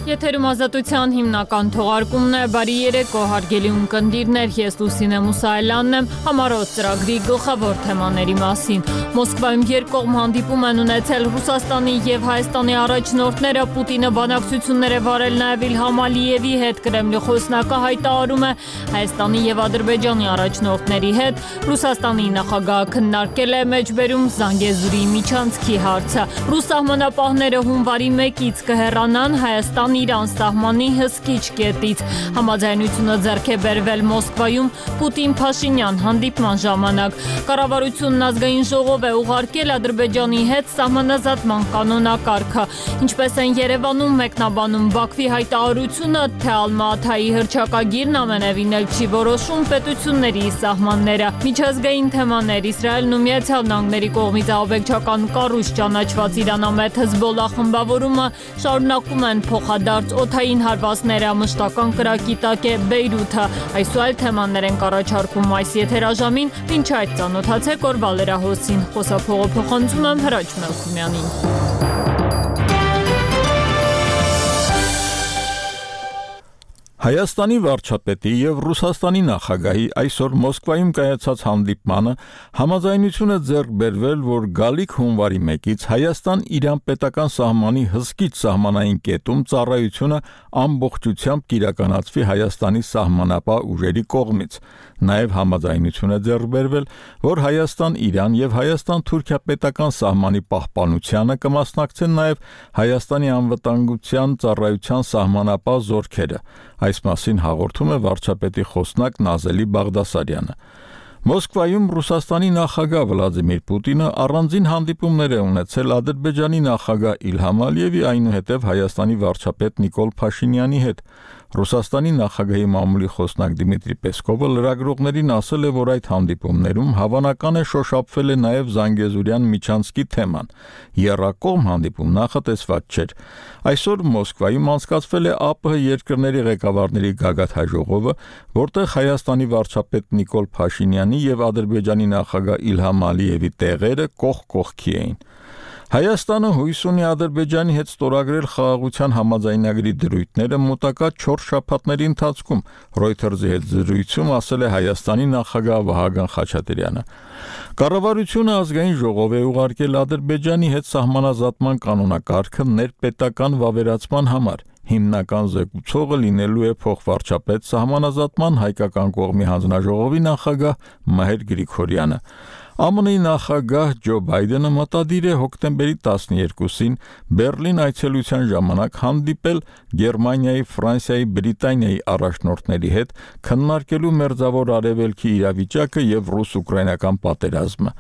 Եթերում ազատության հիմնական թողարկումն է, բարի երեկո հարգելի ունկնդիրներ, ես Լուսինե Մուսայելյանն եմ, համառոտ ծրագրի գլխավոր թեմաների մասին։ Մոսկվայում երկկողմ հանդիպում են ունեցել Ռուսաստանի և Հայաստանի առաջնորդները, Պուտինը բանակցություններ է վարել նաև Իլհամ Ալիևի հետ, Կրեմլի խոսնակը հայտարարում է Հայաստանի և Ադրբեջանի առաջնորդների հետ, Ռուսաստանի նախագահը քննարկել է մեջբերում Զանգեզուրի միջանցքի հարցը, ռուս սահմանապահները հունվարի 1-ից կհեռանան Հայաստան-Իրան սահմանի հսկիչ կետից։ Համաձայնությունը ձեռք է բերվել Մոսկվայում Պուտին-Փաշինյան հանդիպման ժամանակ։ Կառավարությունն ազգային ժողով է ուղարկել Ադրբեջանի հետ սահմանազատման կանոնակարգը։ Ինչպես են Երևանում մեկնաբանում Բաքվի հայտարարությունը, թե Ալմա-Աթայի հռչակագիրն ամենևին էլ չի որոշում պետությունների սահմանները։ Միջազգային թեմաներ Իսրայելն ու Միացյալ Նահանգների կողմից ահաբեկչական կառույց ճանաչված իրանամետ Հեզբոլլա խմբավորումը շարունակում են փոխադարձ օդային հարվածները, մշտական կրակի տակ է Բեյրութը։ Այս ու այլ թեմաներ ենք առաջարկում այս եթերաժամին, մինչ այդ ծանոթացեք օրվա լրահոսին։ Խոսափողը փոխանցում եմ Հրաչ Մելքումյանին։ Հայաստանի վարչապետի և Ռուսաստանի նախագահի այսօր Մոսկվայում կայացած հանդիպմանը համաձայնություն է ձեռք բերվել, որ գալիք հունվարի 1-ից Հայաստան-Իրան պետական սահմանի հսկիչ սահմանային կետում ծառայությունը ամբողջությամբ կիրականացվի Հայաստանի սահմանապահ ուժերի կողմից։ Նաև համաձայնություն է ձեռք բերվել, որ Հայաստան-Իրան և Հայաստան-Թուրքիա պետական սահմանի պահպանությանը կմասնակցեն նաև Հայաստանի անվտանգության ծառայության սահմանապահ զորքերը։ Այս մասին հաղորդում է վարչապետի խոսնակ Նազելի Բաղդասարյանը։ Մոսկվայում Ռուսաստանի նախագահ Վլադիմիր Պուտինը առանձին հանդիպումներ է ունեցել Ադրբեջանի նախագահ Իլհամ Ալիևի, այնուհետև Հայաստանի վարչապետ Նիկոլ Փաշինյանի հետ։ Ռուսաստանի նախագահի մամուլի խոսնակ Դիմիտրի Պեսկովը լրագրողներին ասել է, որ այդ հանդիպումներում հավանական է շոշափվել է նաև Զանգեզուրյան միջանցքի թեման։ Եռակողմ հանդիպում նախատեսված չէր։ Այսօր Մոսկվայում անցկացվել է ԱՊՀ երկրների ղեկավարների գագաթնաժողովը, որտեղ Հայաստանի վարչապետ Նիկոլ Փաշինյանի և Ադրբեջանի նախագահ Իլհամ Ալիևի տեղերը կողք կողքի էին։ Հայաստանը հույս ունի Ադրբեջանի հետ ստորագրել խաղաղության համաձայնագրի դրույթները մոտակա 4 շաբաթների ընթացքում, Reuters-ի հետ զրույցում ասել է Հայաստանի նախագահ Վահագն Խաչատրյանը։ Կառավարությունը ազգային ժողով է ուղարկել Ադրբեջանի հետ սահմանազատման կանոնակարգը ներպետական վավերացման համար։ Հիմնական զեկուցողը լինելու է փոխվարչապետ սահմանազատման հայկական կողմի հանձնաժողովի նախագահ Մհեր Գրիգորյանը։ ԱՄՆ-ի նախագահ Ջո Բայդենը մտադիր է հոկտեմբերի 12-ին Բեռլին այցելության ժամանակ հանդիպել Գերմանիայի, Ֆրանսիայի, Բրիտանիայի առաջնորդների հետ, քննարկելու Մերձավոր Արևելքի իրավիճակը և ռուս-ուկրաինական պատերազմը։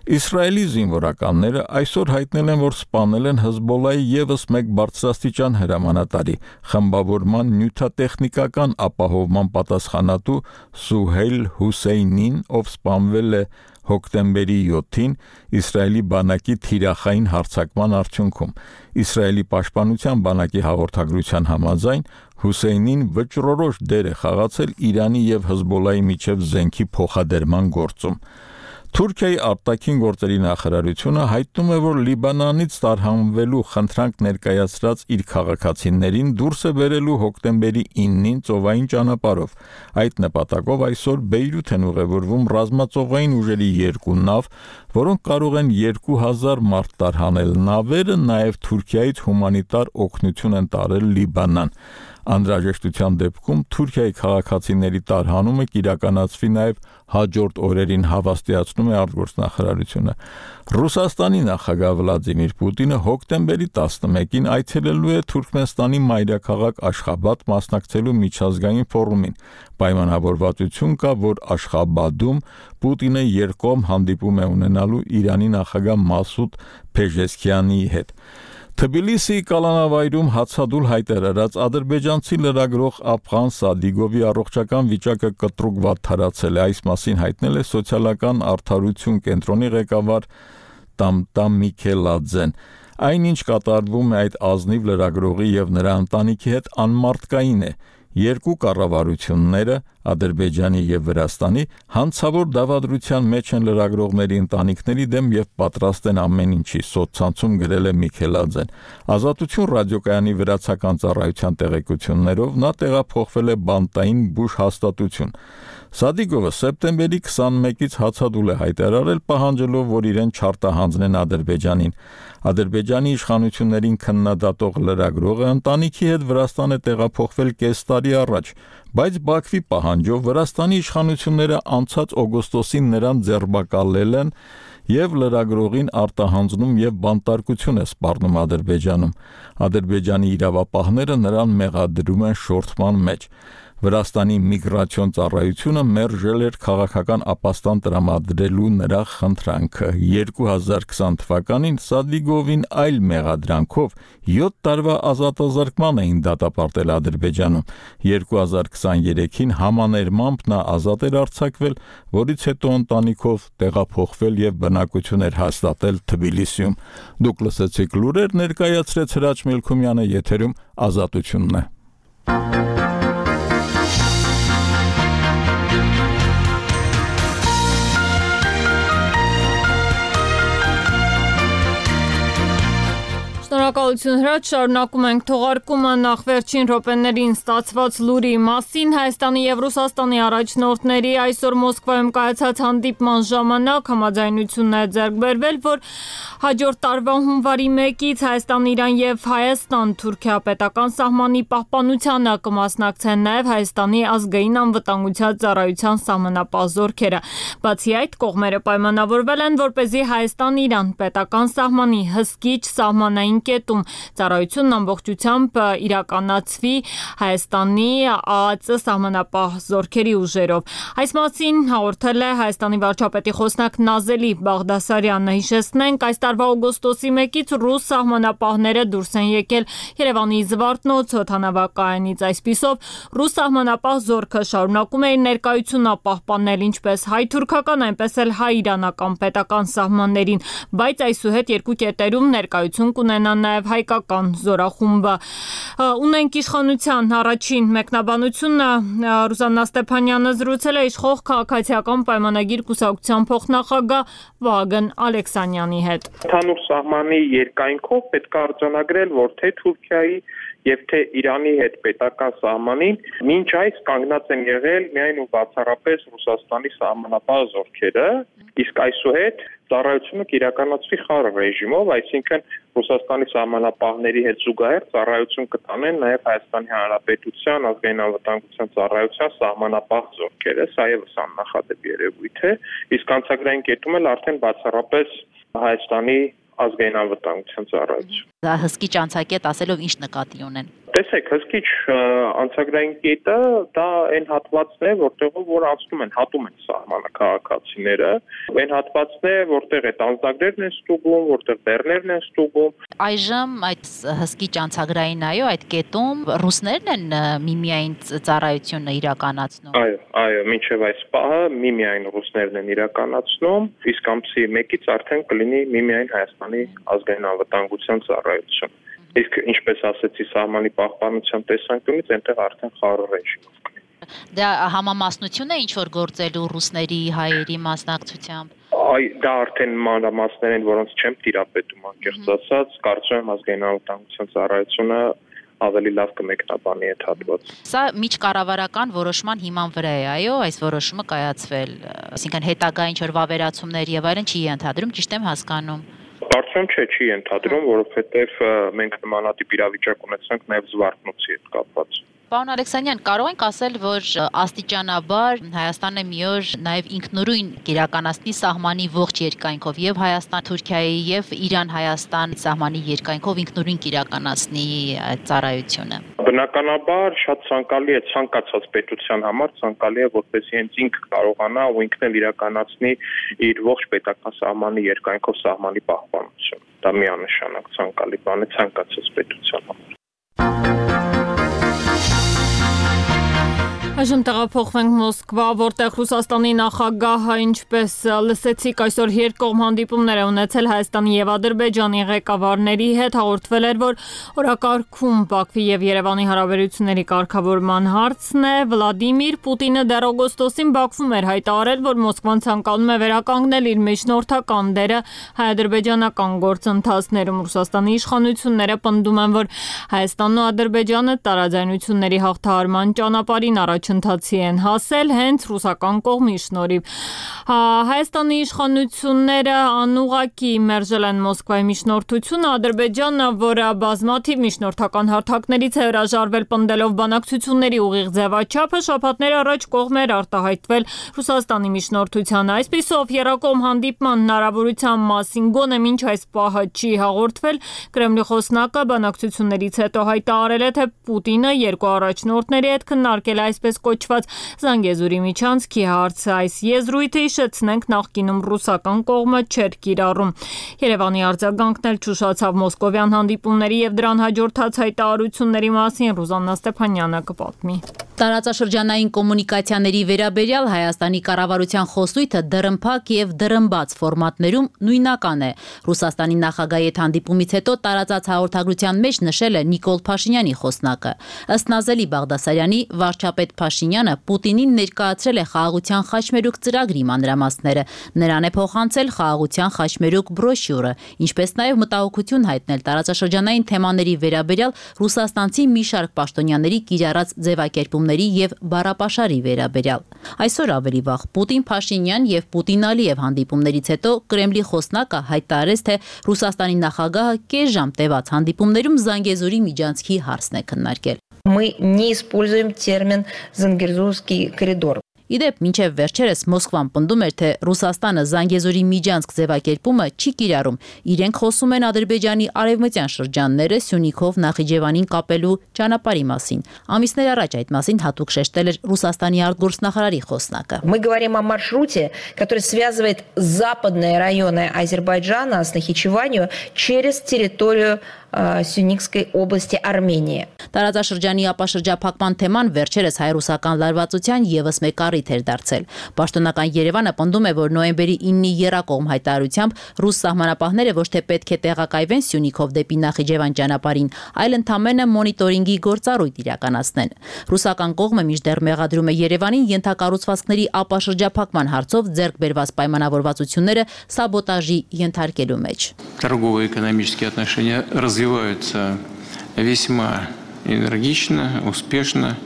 Իսրայելի զինվորականները այսօր հայտնել են, որ սպանել են Հեզբոլլայի ևս մեկ բարձրաստիճան հրամանատարի, խմբավորման նյութատեխնիկական ապահովման պատասխանատու Սուհեյլ Հուսեյնին, ով սպանվել է հոկտեմբերի 7-ին Իսրայելի բանակի թիրախային հարձակման արդյունքում։ Իսրայելի պաշտպանության բանակի հաղորդագրության համաձայն Հուսեյնին վճռորոշ դեր է խաղացել Իրանի և Հեզբոլլայի միջև զենքի փոխադրման գործում։ Թուրքիայի արտաքին գործերի նախարարությունը հայտնում է, որ Լիբանանից տարհանվելու խնդրանք ներկայացրած իր քաղաքացիներին դուրս է բերելու հոկտեմբերի 9-ին ծովային ճանապարհով։ Այդ նպատակով այսօր Բեյրութ են ուղևորվում ռազմածովային ուժերի 2 նավ, որոնք կարող են 2000 մարդ տարհանել։ Նավերը նաև Թուրքիայից հումանիտար օգնություն են տարել Լիբանան։ Անհրաժեշտության դեպքում Թուրքիայի քաղաքացիների տարհանումը կիրականացվի նաև հաջորդ օրերին, հավաստիացնում է արտգործնախարարությունը։ Ռուսաստանի նախագահ Վլադիմիր Պուտինը հոկտեմբերի 11-ին այցելելու է Թուրքմենստանի մայրաքաղաք Աշխաբադ մասնակցելու միջազգային ֆորումին։ Պայմանավորվածություն կա, որ Աշխաբադում Պուտինը երկկողմ հանդիպում է ունենալու Իրանի նախագահ Մասուդ Փեզեշքիանի հետ։ Թբիլիսիի կալանավայրում հացադուլ հայտարարած ադրբեջանցի լրագրող Ափղան Սադիգովի առողջական վիճակը կտրուկ վատթարացել է։ Այս մասին հայտնել է սոցիալական արդարություն կենտրոնի ղեկավար Տամտամ Միքելաձեն։ Այնինչ կատարվում է այդ ազնիվ լրագրողի և նրա ընտանիքի հետ անմարդկային է։ Երկու կառավարությունները Ադրբեջանի եւ Վրաստանի հանցավոր դավադրության մեջ են լրագրողների ընտանիքների դեմ եւ պատրաստ են ամեն ինչի, սոցցանցում գրել է Միքելաձեն։ Ազատություն ռադիոկայանի վրացական ծառայության տեղեկություններով նա տեղափոխվել է բանտային բուժ հաստատություն։ Սադիգովը սեպտեմբերի 21-ից հացադուլ է հայտարարել, պահանջելով, որ իրեն չարտահանձնեն Ադրբեջանին։ Ադրբեջանի իշխանություններին քննադատող լրագրողը ընտանիքի հետ Վրաստան է տեղափոխվել կես տարի առաջ, բայց Բաքվի պահանջով Վրաստանի իշխանությունները անցած օգոստոսին նրան ձերբակալել են եւ լրագրողին արտահանձնում եւ բանտարկություն է սպառնում Ադրբեջանում։ Ադրբեջանի իրավապահները նրան մեղադրում են շորթման մեջ։ Վրաստանի միգրացիոն ծառայությունը մերժել էր քաղաքական ապաստան տրամադրելու նրա խնդրանքը։ 2020 թվականին Սադիգովին այլ մեղադրանքով 7 տարվա ազատազրկման էին դատապարտել Ադրբեջանում։ 2023-ին համաներմամբ նա ազատ էր արձակվել, որից հետո ընտանիքով տեղափոխվել եւ բնակություն էր հաստատել Թբիլիսիում։ Դուք լսեցիք լուրեր, ներկայացրեց Հրաչ Մելքումյանը, եթերում Ազատությունն է։ Շնորհակալություն Հրաչ, շարունակում ենք թողարկումը նախ վերջին րոպեներին ստացված լուրի մասին։ Հայաստանի եւ Ռուսաստանի առաջնորդների այսօր Մոսկվայում կայացած հանդիպման ժամանակ համաձայնություն է ձեռք բերվել, որ հաջորդ տարվա հունվարի 1-ից Հայաստան, Իրան եւ Հայաստան-Թուրքիա պետական սահմանի պահպանությանը կմասնակցեն նաեւ Հայաստանի ազգային անվտանգության ծառայության սահմանապահ զորքերը։ Բացի այդ, կողմերը պայմանավորվել են, որպեսզի Հայաստան-Իրան պետական սահմանի հսկիչ սահմանային կետում ծառայությունն ամբողջությամբ իրականացվի Հայաստանի ԱԱԾ սահմանապահ զորքերի ուժերով։ Այս մասին հաղորդել է Հայաստանի վարչապետի խոսնակ Նազելի Բաղդասարյանը։ Հիշեցնենք, այս տարվա օգոստոսի 1-ից ռուս սահմանապահները դուրս են եկել Երևանի Զվարթնոց օդանավակայանից։ Այսպիսով, ռուս սահմանապահ զորքը շարունակում է իր ներկայությունը պահպանել ինչպես հայ-թուրքական, այնպես էլ հայ-իրանական պետական սահմաններին, բայց այսուհետ երկու կետերում ներկայություն կունենա նաև հայկական զորախումբը։ Ունենք իշխանության առաջին մեկնաբանությունը, Ռուզաննա Ստեփանյանը զրուցել է իշխող քաղաքացիական պայմանագիր կուսակցության փոխնախագահ Վահագն Ալեքսանյանի հետ։ Ընդհանուր սահմանի երկայնքով պետք է արձանագրել, որ թե Թուրքիայի եւ թե Իրանի հետ պետական սահմանին մինչ այս կանգնած են եղել միայն ու բացառապես Ռուսաստանի սահմանապահ զորքերը, իսկ այսուհետ ծառայությունը կիրականացվի խաղ ռեժիմով, այսինքն Ռուսաստանի սահմանապահների հետ զուգահեռ ծառայություն կտանեն նաև Հայաստանի Հանրապետության ազգային անվտանգության ծառայության սահմանապահ զորքերը, սա եւս աննախադեպ երևույթ է, իսկ անցագրային կետում էլ արդեն բացառապես Հայաստանի ազգային անվտանգության ծառայություն։ Դա հսկիչ անցակետ ասելով ինչ նկատի ունեն։ Տեսեք, հսկիչ անցագրային կետը դա այն հատվածն է, որտեղով որ անցնում են, հատում են սահմանը քաղաքացիները, այն հատվածն է, որտեղ այդ անձնագրերն են ստուգում, որտեղ բեռներն են ստուգում։ Այժմ այդ հսկիչ անցագրային այդ կետում ռուսներն են միմիայն ծառայությունը իրականացնում։ Այո, մինչև այս պահը միմիայն ռուսներն են իրականացնում, իսկ ամսի 1-ից արդեն կլինի միմիայն Հայաստանի ազգային անվտանգության ծառայություն։ Իսկ ինչպես ասեցի, սահմանի պահպանության տեսանկյունից այնտեղ արդեն խաղ ռեժիմով։ Դա համամասնություն է ինչ որ գործելու ռուսների, հայերի մասնակցությամբ։ Դա արդեն մանրամասներ են, որոնց չեմ տիրապետում, անկեղծ ասած, կարծում եմ ազգային անվտանգության ծառայությունը ավելի լավ կմեկնաբանի այդ հատվածը։ Սա միջկառավարական որոշման հիման վրա է, այո, այս որոշումը կայացվել, այսինքն հետագա ինչ որ վավերացումներ եւ այլն չի ենթադրում, ճիշտ եմ հասկանում։ Կարծում չի ենթադրում, որովհետև մենք նմանատիպ իրավիճակ ունեցանք նաև Զվարթնոցի հետ կապված։ Պարոն Ալեքսանյան, կարող ենք ասել, որ աստիճանաբար Հայաստանը մի օր նաև ինքնուրույն կիրականացնի սահմանի ողջ երկայնքով եւ Հայաստան-Թուրքիայի եւ Իրան-Հայաստան սահմանի երկայնքով ինքնուրույն կիրականացնի այդ ծառայությունը։ Բնականաբար շատ ցանկալի է ցանկացած պետության համար, ցանկալի է որպեսզի հենց ինքը կարողանա ու ինքն էլ իրականացնի իր ողջ պետական սահմանի երկայնքով սահմանի պահպանություն։ Դա միանշանակ ցանկալի բան է ցանկացած պետության համար։ Այժմ տեղափոխվենք Մոսկվա, որտեղ Ռուսաստանի նախագահը, ինչպես լսեցիք, այսօր երկկողմ հանդիպումներ է ունեցել Հայաստանի եւ Ադրբեջանի ղեկավարների հետ, հաղորդվել էր, որ օրակարգում Բաքվի եւ Երևանի հարաբերությունների կարգավորման հարցն է։ Վլադիմիր Պուտինը դեռ օգոստոսին Բաքվում էր հայտարարել, որ Մոսկվան ցանկանում է վերականգնել իր միջնորդական դերը հայ-ադրբեջանական գործընթացներում։ Ռուսաստանի իշխանությունները պնդում են, որ Հայաստանն ու Ադրբեջանը տարաձայնությունների հաղթահարման ճանապարհին առաջընթացի են հասել հենց ռուսական կողմի շնորհիվ։ Հայաստանի իշխանությունները անուղղակի մերժել են Մոսկվայի միջնորդությունը, Ադրբեջանը, որը բազմաթիվ միջնորդական հարթակներից է հրաժարվել, պնդելով բանակցությունների ուղիղ ձևաչափը, շաբաթներ առաջ կողմ էր արտահայտվել Ռուսաստանի միջնորդությանը։ Այսպիսով եռակողմ հանդիպման հնարավորության մասին գոնե մինչ այս պահը չի հաղորդվել։ Կրեմլի խոսնակը բանակցություններից հետո հայտարարել է, թե Պուտինը երկու առաջնորդների հետ քննարկել է այսպես կոչված Զանգեզուրի միջանցքի հարցը։ Այս եզրույթը, հիշեցնենք, նախկինում ռուսական կողմը չէր կիրառում։ Երևանի արձագանքն էլ չուշացավ մոսկովյան հանդիպումների եւ դրան հաջորդած հայտարարությունների մասին Ռուզաննա Ստեփանյանը կպատմի։ Տարածաշրջանային կոմունիկացիաների վերաբերյալ Հայաստանի կառավարության խոսույթը դռնփակ եւ դռնբաց ֆորմատներում նույնական է։ Ռուսաստանի նախագահի հետ հանդիպումից հետո տարածած հաղորդագրության մեջ նշել է Նիկոլ Փաշինյանի խոսնակը։ Ըստ Նազելի Բաղդասարյանի, վարչապետ Փաշինյանը Պուտինին ներկայացրել է խաղաղության խաչմերուկ ծրագրի մանրամասները։ Նրան է փոխանցել խաղաղության խաչմերուկ բրոշյուրը, ինչպես նաեւ մտահոգություն հայտնել տարածաշրջանային թեմաների վերաբերյալ ռուսաստանցի մի շարք պաշտոնյաների կիրառած ձևակերպումների եւ բառապաշարի վերաբերյալ։ Այսօր ավելի վաղ Պուտին-Փաշինյան եւ Պուտին-Ալիև հանդիպումներից հետո Կրեմլի խոսնակը հայտարարեց, թե Ռուսաստանի նախագահը կես ժամ տևած հանդիպումներում Զանգեզուրի միջանցքի հարցն է քննարկել։ Мы не используем термин «Зангезурский коридор». Իդեպ, մինչև վերջերս Մոսկվան պնդում էր, թե Ռուսաստանը Զանգեզուրի միջանցք ձևակերպումը չի կիրառում։ Իրենք խոսում են Ադրբեջանի արևմտյան շրջանները Սյունիքով Նախիջևանին կապելու ճանապարհի մասին։ Ամիսներ առաջ այդ մասին հատուկ շեշտել էր Ռուսաստանի արտգործնախարարի խոսնակը։ Мы говорим о маршруте, который связывает западные районы Азербайджана с Нахичеванью через территорию Սյունիքской области Արմենիա։ Տարածաշրջանի ապաշրջափակման թեման վերջերս հայ-ռուսական լարվածության եւս մեկ առիթ էր դարձել։ Պաշտոնական Երևանը պնդում է, որ նոյեմբերի 9-ի եռակողմ հայտարարությամբ ռուս սահմանապահները ոչ թե պետք է տեղակայվեն Սյունիքով դեպի Նախիջևան ճանապարհին, այլ ընդամենը մոնիտորինգի գործառույթ իրականացնեն։ Ռուսական կողմը մինչդեռ մեղադրում է Երևանին ենթակառուցվածքների ապաշրջափակման հարցով ձեռք բերված պայմանավորվածությունները սաբոտաժի ենթարկելու մեջ։ Торгово-экономические отношения развиваются весьма энергично, успешно.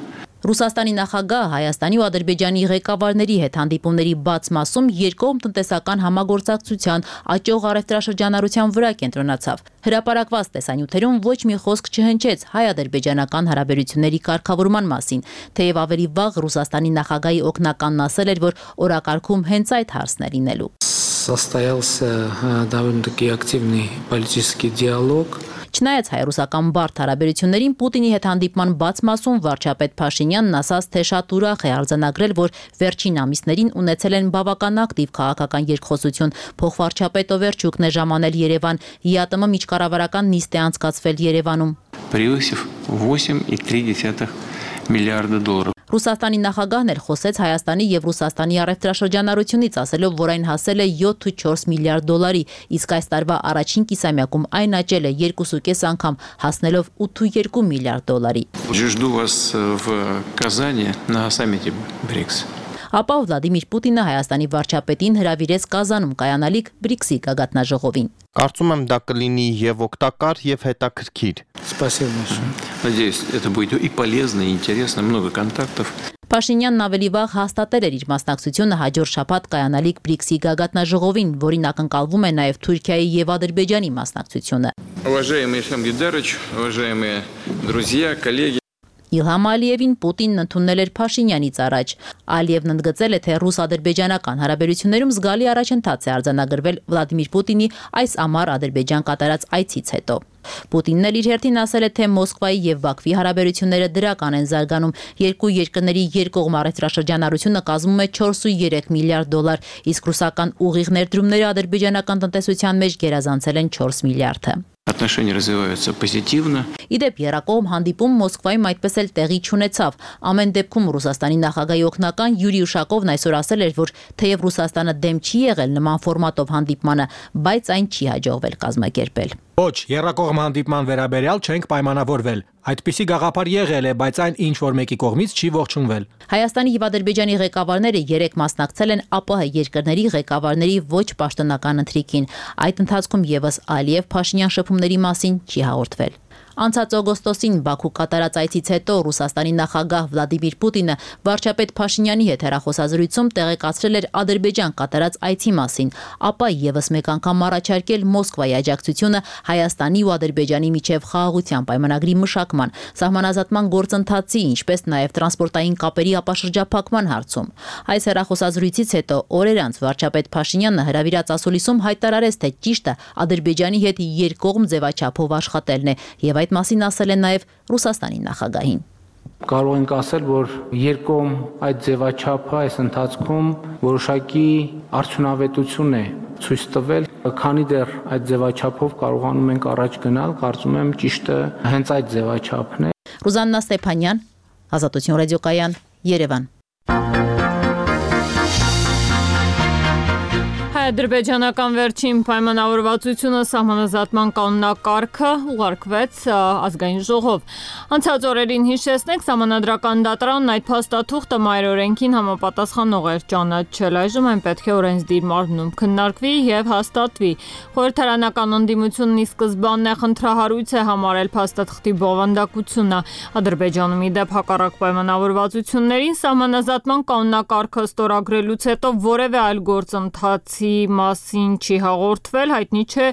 Ռուսաստանի նախագահը Հայաստանի ու Ադրբեջանի ղեկավարների հետ հանդիպումների բաց մասում երկկողմ տնտեսական համագործակցության աճող առևտրաշրջանառության վրա կենտրոնացավ։ Հրապարակված տեսանյութերում ոչ մի խոսք չհնչեց հայ-ադրբեջանական հարաբերությունների կարգավորման մասին, թեև ավելի վաղ Ռուսաստանի նախագահի օգնականն ասել էր, որ օրակարգում հենց այդ հարցն է լինելու։ Состоялся довольно-таки активный политический диалог. Չնայած հայ-ռուսական բարդ հարաբերություններին Պուտինի հետ հանդիպման բաց մասում վարչապետ Փաշինյանն ասաց, թե շատ ուրախ է արձանագրել, որ վերջին ամիսներին ունեցել են բավական ակտիվ քաղաքական երկխոսություն։ Փոխվարչապետ Օվերչուկն է ժամանել Երևան, ԵԱՏՄ միջկառավարական նիստ է անցկացվել Երևանում։ Превысив 8,3 миллиарда долларов. Ռուսաստանի նախագահն էլ խոսեց Հայաստանի եւ Ռուսաստանի առևտրաշրջանառությունից, ասելով, որ այն հասել է 7.4 միլիարդ դոլարի, իսկ այս տարվա առաջին կիսամյակում այն աճել է 2.5 անգամ, հասնելով 8.2 միլիարդ դոլարի։ Жду вас в Казани на саммите БРИКС. Ապա Վլադիմիր Պուտինը Հայաստանի վարչապետին հրավիրեց Կազանում կայանալիք ԲՐԻԿՍ-ի գագաթնաժողովին։ Կարծում եմ դա կլինի եւ օգտակար եւ հետաքրքիր։ Спасибо большое. Надеюсь, это будет и полезно, и интересно, много контактов. Փաշինյանն ավելի вաղ հաստատել էր իր մասնակցությունը հաջորդ շաբաթ կայանալիք ԲՐԻԿՍ-ի գագաթնաժողովին, որին ակնկալվում է նաև Թուրքիայի եւ Ադրբեջանի մասնակցությունը։ Уважаемый Ильхам Гейдарович, уважаемые друзья, коллеги. Իլհամ Ալիևին Պուտինն ընդունել էր Փաշինյանից առաջ։ Ալիևն ընդգծել է, թե ռուս-ադրբեջանական հարաբերություններում զգալի առաջընթաց է արձանագրվել Վլադիմիր Պուտինի այս ամառ Ադրբեջան կատարած այցից հետո։ Պուտինն էլ իր հերթին ասել է, թե Մոսկվայի եւ Բաքվի հարաբերությունները դրական են զարգանում։ Երկու երկրների երկկողմ առևտրաշրջանառությունը կազմում է 4.3 միլիարդ դոլար, իսկ ռուսական ուղիղ ներդրումները ադրբեջանական տնտեսության մեջ գերազանցել են 4 միլիարդը։ Отношения развиваются позитивно. Իդեպ երակողմ հանդիպում Մոսկվայում այդպես էլ տեղի չունեցավ։ Ամեն դեպքում Ռուսաստանի նախագահի օգնական Յուրի Ուշակովն այսօր ասել էր, որ թեև Ռուսաստանը դեմ չի եղել նման ֆորմատով հանդիպմանը, բայց այն չի հաջողվել կազմակերպել։ Ոչ, երակողմ հանդիպման վերաբերյալ չենք պայմանավորվել։ Այդպիսի գաղափար եղել է, բայց այն ինչ որ մեկի կողմից չի ողջունվել։ Հայաստանի եւ Ադրբեջանի ղեկավարները երեք մասնակցել են ԱՊՀ երկրների ղեկավարների ոչ պաշտոնական ընթրիքին։ Այդ ընթացքում եւս Ալիև-Փաշինյան շփումների մասին չի հաղորդվել։ Անցած օգոստոսին Բաքու կատարած այցից հետո Ռուսաստանի նախագահ Վլադիմիր Պուտինը վարչապետ Փաշինյանի հետ հեռախոսազրույցում տեղեկացրել էր Ադրբեջան կատարած այցի մասին, ապա եւս մեկ անգամ առաջարկել Մոսկվայի աջակցությունը Հայաստանի ու Ադրբեջանի միջև խաղաղության պայմանագրի մշակման, սահմանազատման գործընթացի, ինչպես նաեւ տրանսպորտային կապերի ապաշրջափակման հարցում։ Այս հեռախոսազրույցից հետո օրեր անց վարչապետ Փաշինյանը հրավիրած ասուլիսում հայտարարեց, թե ճիշտը Ադրբեջանի հետ երկկողմ ձևաչափով աշխատելն է եւ այդ մասին ասել են նաև Ռուսաստանի նախագահին։ Կարող ենք ասել, որ երկկողմ այդ ձևաչափը այս ընթացքում որոշակի արդյունավետություն է ցույց տվել, քանի դեռ այդ ձևաչափով կարողանում ենք առաջ գնալ, կարծում եմ ճիշտը հենց այդ ձևաչափն է։ Ռուզաննա Ստեփանյան, Ազատություն ռադիոկայան, Երևան։ Ադրբեջանական վերջին պայմանավորվածությունը սահմանազատման կանոնակարգը ուղարկվեց ազգային ժողով։ Անցած օրերին հիշեցնենք, սահմանադրական դատարանն այդ փաստաթուղթը մայրօրենքին համապատասխանող էր ճանաչել։ Այժմ այն պետք է օրենսդիր մարմնում քննարկվի եւ հաստատվի։ Խորհրդարանական ընդդիմությունն ի սկզբանե խնդրահարույց է համարել փաստաթղթի բովանդակությունը։ Ադրբեջանում իդեպ հակառակ պայմանավորվածություններին սահմանազատման կանոնակարգը ստորագրելուց հետո որևէ այլ գործընթացի մասին չի հաղորդվել, հայտնի չէ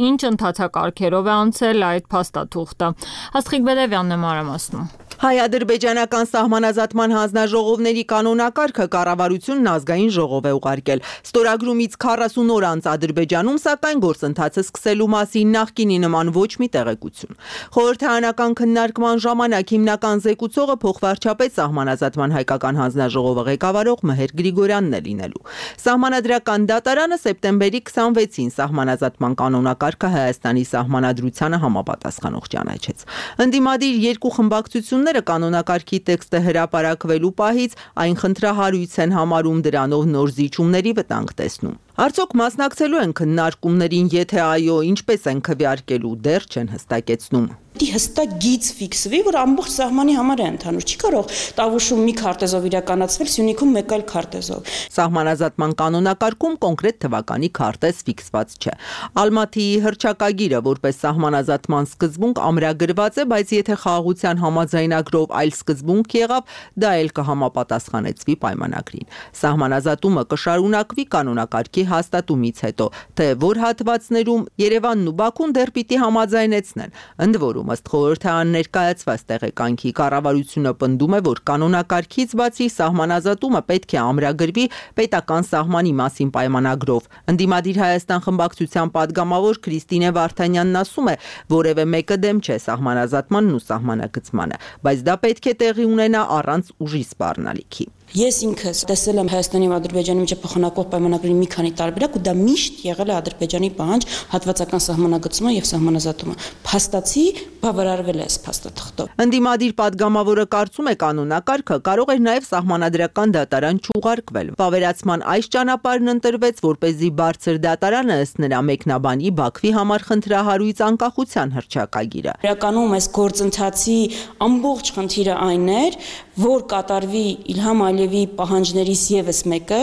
ինչ ընթացակարգերով է անցել այդ փաստաթուղթը։ Աստղիկ Բեդևյանն է մանրամասնում։ Հայ-ադրբեջանական սահմանազատման հանձնաժողովների կանոնակարգը կառավարությունն ազգային ժողով է ուղարկել։ Ստորագրումից 40 օր անց Ադրբեջանում, սակայն գործընթացը սկսելու մասին նախկինի նման ոչ մի տեղեկություն։ Խորհրդարանական քննարկման ժամանակ հիմնական զեկուցողը փոխվարչապետ սահմանազատման հայկական հանձնաժողովը ղեկավարող Մհեր Գրիգորյանն է լինելու։ Սահմանադրական դատարանը սեպտեմբերի 26-ին սահմանազատման կանոնակարգը Հայաստանի սահմանադրությանը համապատասխանող ճանաչեց։ Ընդդիմադիր երկու խմբակցությունները կանոնակարգի տեքստը հրապարակվելու պահից այն խնդրահարույց են համարում, դրանով նոր զիջումների վտանգ տեսնում։ Արդյոք մասնակցելու են քննարկումներին, եթե այո, ինչպես են քվեարկելու, դեռ չեն հստակեցնում։ Դի հստակ գիծ ֆիքսվի, որ ամբողջ սահմանի համար է ընդհանուր, չի կարող Տավուշում մի քարտեզով իրականացվել, Սյունիքում մեկ այլ քարտեզով։ Սահմանազատման կանոնակարգում կոնկրետ թվականի քարտեզ ֆիքսված չէ։ Ալմաթիի հռչակագիրը որպես սահմանազատման սկզբունք ամրագրված է, բայց եթե խաղաղության համաձայնագրով այլ սկզբունք եղավ, դա էլ կհամապատասխանեցվի պայմանագրին։ Սահմանազատումը կշարունակվի կանոնակարգի հաստատումից հետո, թե որ հատվածներում Երևանն ու Բաքուն դեռ պիտի համաձայնեցնեն։ Ընդ որում ըստ խորհրդարան ներկայացված տեղեկանքի կառավարությունը պնդում է, որ կանոնակարգից բացի սահմանազատումը պետք է ամրագրվի պետական սահմանի մասին պայմանագրով։ Ընդդիմադիր Հայաստան խմբակցության падգամավոր Քրիստինե Վարդանյանն ասում է, որևէ մեկը դեմ չէ սահմանազատմանն ու սահմանագծմանը, բայց դա պետք է տեղի ունենա առանց ուժի սպառնալիքի։ Ես ինքս տեսել եմ Հայաստանի ու Ադրբեջանի միջև փոխանակող պայմանագրի մի քանի տարբերակ ու դա միշտ եղել է Ադրբեջանի պահանջ հատվածական սահմանագծումը եւ սահմանազատումը։ Փաստացի բավարարվել է այս փաստաթղթով։ Ընդդիմադիր падգամավորը կարծում է կանոնակարգը կարող էր նաեւ սահմանադրական դատարան չուղարկվել։ Վավերացման այս ճանապարհն ընտրվեց, որպեսզի բարձր դատարանը ըստ նրա մեկնաբանի Բաքվի համար խնդրահարույց անկախության հռչակագիրը։ Իրականում այս գործընթացի ամբողջ խնդիրը այն էր, որ կատարվի Իլհամ Ալիևի պահանջներից եւս մեկը,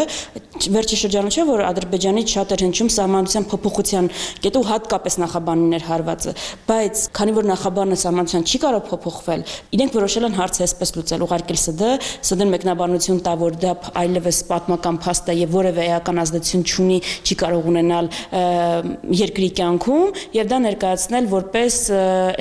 վերջի շրջանում չէ, որ Ադրբեջանից շատ էր հնչում սահմանության փոփոխության կետը ու հատկապես նախաբանին էր հարվածը, բայց քանի որ նախաբանը սահմանության չի կարող փոփոխվել, իրենք որոշել են հարցը այսպես լուծել, ուղարկել ՍԴ-ն մեկնաբանություն տա, որ դա այլևս պատմական փաստ է եւ որևէ էական ազդեցություն չունի, չի կարող ունենալ երկրի կյանքում եւ դա ներկայացնել որպես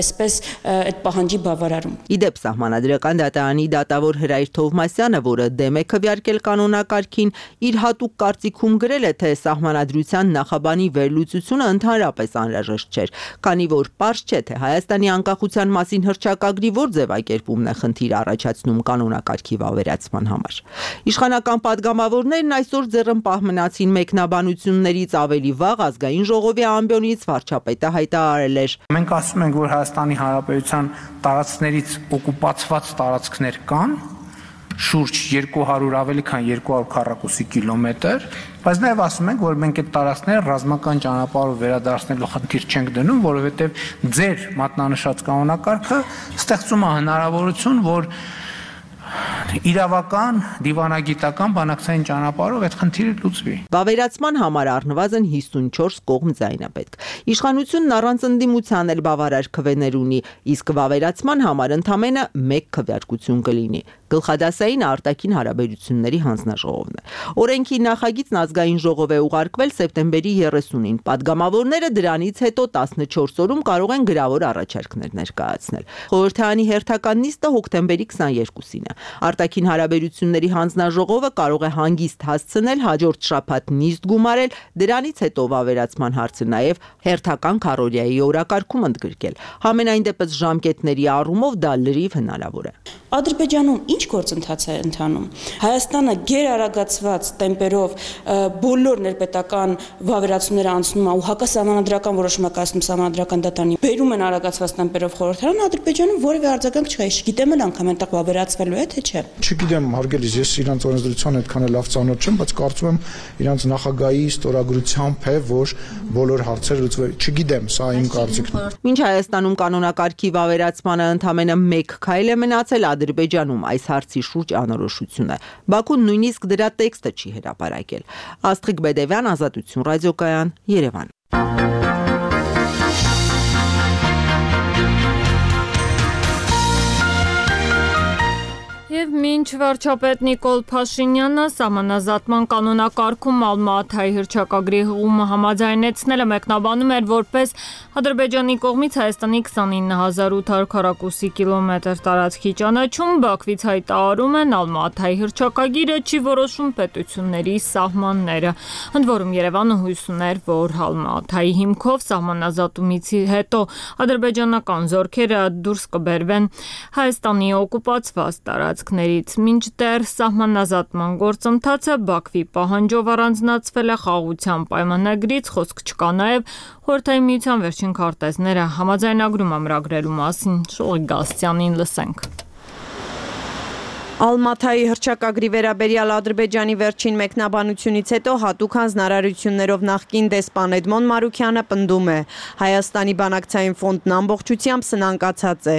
այսպես այդ պահանջի բավարարում։ Իդեպ սահմանադրական դատարանի դատավոր Հրայր Թովմասյանը, որը դեմ է քվեարկել կանոնակարգին, իր հատուկ կարծիքում գրել է, թե սահմանադրության նախաբանի վերլուծությունը ընդհանրապես անհրաժեշտ չէր, քանի որ պարզ չէ, թե Հայաստանի անկախության մասին հռչակագրի որ ձևակերպումն է խնդիր առաջացնում կանոնակարգի վավերացման համար։ Իշխանական падգամավորներն այսօր ձեռնպահ մնացին մեկնաբանություններից ավելի վաղ ազգային ժողովի ամբիոնից վարչապետը հայտարարել էր. Մենք ասում ենք, որ Հայաստանի Հանրապետության տարածքներից օկուպացված տարածքներ կան, շուրջ 200 ավելի քան 200 քառակուսի կիլոմետր, բայց նաև ասում ենք, որ մենք այդ տարածքները ռազմական ճանապարհով վերադարձնելու խնդիր չենք դնում, որովհետև ձեր մատնանշած կանոնակարգը ստեղծում է հնարավորություն, որ իրավական, դիվանագիտական, բանակցային ճանապարհով այդ խնդիրը լուծվի։ Վավերացման համար առնվազն 54 կողմ ձայն է պետք։ Իշխանությունն առանց ընդդիմության էլ բավարար քվեներ ունի, իսկ վավերացման համար ընդամենը 1 քվեարկություն կլինի։ Գլխադասային արտաքին հարաբերությունների հանձնաժողովն է։ Օրենքի նախագիծն ազգային ժողով է ուղարկվել սեպտեմբերի 30-ին։ Պատգամավորները դրանից հետո 14 օրում կարող են գրավոր առաջարկներ ներկայացնել։ Խորհրդարանի հերթական նիստը հոկտեմբերի 22-ին է։ Արտաքին հարաբերությունների հանձնաժողովը կարող է հանգիստ հասցնել հաջորդ շաբաթ նիստ գումարել, դրանից հետո վավերացման հարցը նաև հերթական քառօրյայի օրակարգում ընդգրկել։ Համենայն դեպս ժամկետների առումով դա լրիվ հնարավոր է։ Ադրբեջանում ինչ գործընթաց է ընթանում։ Հայաստանը գերարագացված տեմպերով բոլոր ներպետական վավերացումները անցնում է ու հակասահմանադրական որոշում է կայացնում սահմանադրական դատարանի։ Բերում են արագացված տեմպերով խորհրդարան, Ադրբեջանում որևէ արձագանք չկա, չգիտեմ էլ անգամ այնտեղ վավերացվելու է թե չէ։ Չգիտեմ, հարգելիս, ես իրանց օրենսդրության այդքան լավ ծանոթ չեմ, բայց կարծում եմ իրանց նախագահի ստորագրությամբ է, որ բոլոր հարցերը լուծվել։ Չգիտեմ, սա իմ կարծիքն է։ Մինչ Հայաստանում կանոնակարգի վավերացմանը ընդամենը 1 քայլ է մնացել, Ադրբեջանում այս հարցի շուրջ անորոշություն է։ Բաքուն նույնիսկ դրա տեքստը չի հրապարակել։ Աստղիկ Բեդևյան, Ազատություն ռադիոկայան, Երևան։ Եվ մինչ վարչապետ Նիկոլ Փաշինյանը սահմանազատման կանոնակարգում Ալմատայի հռչակագրի հղումը համաձայնեցնելը մեկնաբանում էր որպես Ադրբեջանի կողմից Հայաստանի 29800 քառակուսի կիլոմետր տարածքի ճանաչում, Բաքվից հայտարարում են Ալմատայի հռչակագիրը չի որոշում պետությունների սահմանները։ Ընդ որում Երևանը հույս ուներ, որ Ալմատայի հիմքով սահմանազատումից հետո ադրբեջանական զորքերը դուրս կբերվեն Հայաստանի օկուպացված տարածքներից, մինչդեռ սահմանազատման գործընթացը Բաքվի պահանջով առանձնացվել է խաղաղության պայմանագրից, խոսք չկա նաև Խորհրդային Միության վերջին քարտեզները համաձայնագրում ամրագրելու մասին։ Շողիկ Գասյանին լսենք։ Ալմատայի հռչակագրի վերաբերյալ Ադրբեջանի վերջին մեկնաբանությունից հետո հատուկ հանձնարարություններով նախկին դեսպան Էդմոն Մարուքյանը պնդում է. Հայաստանի բանակցային ֆոնդն ամբողջությամբ սնանկացած է։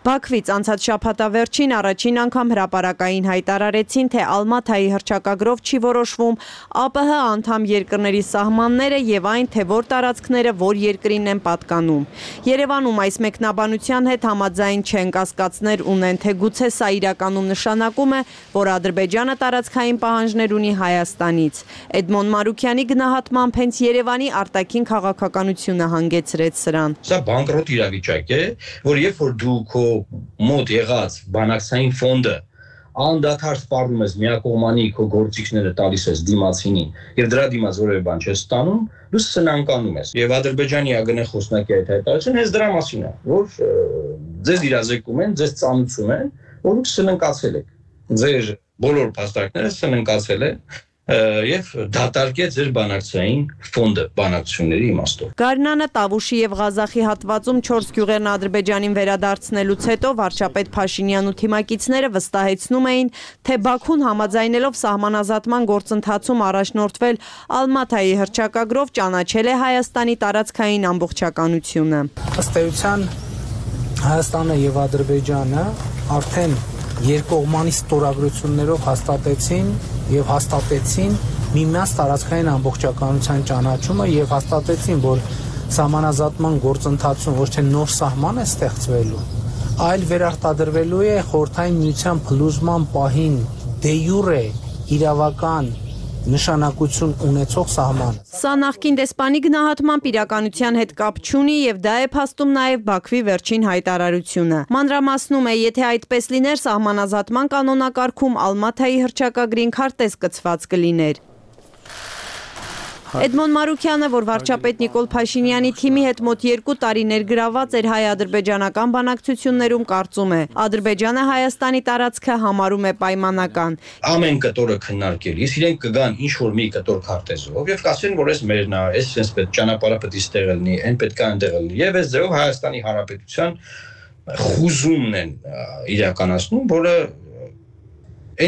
Բաքվից անցած շաբաթավերջին առաջին անգամ հրապարակային հայտարարեցին, թե Ալմատայի հռչակագրով չի որոշվում ԱՊՀ անդամ երկրների սահմանները եւ այն, թե որ տարածքները որ երկրին են պատկանում։ Երևանում այս մեկնաբանության հետ համաձայն չեն, կասկածներ ունեն, թե գուցե սա իրականում նշանակում է, որ Ադրբեջանը տարածքային պահանջներ ունի Հայաստանից։ Էդմոն Մարուքյանի գնահատմամբ հենց Երևանի արտաքին քաղաքականությունը հանգեցրեց սրան։ Սա բանկրոտ իրավիճակ է, որ երբ որ դու քո մոտ եղած բանակցային ֆոնդը անդադար սպառնում ես միակողմանի քո գործիքները տալիս ես դիմացինին եւ դրա դիմաց որևէ բան չես ստանում, դու սնանկանում ես։ Եվ Ադրբեջանի ԱԳՆ խոսնակի այդ հայտարարությունը հենց դրա մասին է, որ ձեզ իրազեկում են, ձեզ ծանուցում են, որ դուք սնանկացել եք։ Ձեր բոլոր փաստարկները սնանկացել են եւ դատարկեց ձեր բանակցային ֆոնդը բանակցությունների իմաստով։ Գարնանը, Տավուշի եւ Ղազախի հատվածում 4 գյուղերն Ադրբեջանին վերադարձնելուց հետո վարչապետ Փաշինյանն ու թիմակիցները վստահեցնում էին, թե Բաքուն համաձայնելով սահմանազատման գործընթացում առաջնորդվել Ալմատայի հռչակագրով ճանաչել է Հայաստանի տարածքային ամբողջականությունը։ Ըստ էության Հայաստանը եւ Ադրբեջանը արդեն երկկողմանի ստորագրություններով հաստատեցին միմյանց տարածքային ամբողջականության ճանաչումը եւ հաստատեցին, որ սահմանազատման գործընթացում ոչ թե նոր սահման է ստեղծվելու, այլ վերարտադրվելու է Խորհրդային Միության փլուզման պահին դե յուրե իրավական նշանակություն ունեցող սահմանը։ Սա նախկին դեսպանի գնահատմամբ իրականության հետ կապ չունի եւ դա է փաստում նաեւ Բաքվի վերջին հայտարարությունը։ Մանրամասնում է, եթե այդպես լիներ, սահմանազատման կանոնակարգում Ալմատայի հռչակագրին քարտեզ կցված կլիներ։ Էդմոն Մարուքյանը, որ վարչապետ Նիկոլ Փաշինյանի թիմի հետ մոտ 2 տարի ներգրաված էր հայ-ադրբեջանական բանակցություններում, կարծում է, Ադրբեջանը Հայաստանի տարածքը համարում է պայմանական։ Ամեն կտորը քննարկելիս իրենք կգան ինչ որ մի կտոր քարտեզով եւ կասեն, որ այս մերն է, այս sense պետք ճանապարհը պետք է ստեղ լինի, այն պետք է այնտեղ լինի եւ այս ձեւով Հայաստանի Հանրապետության խուզումն են իրականացնում, որը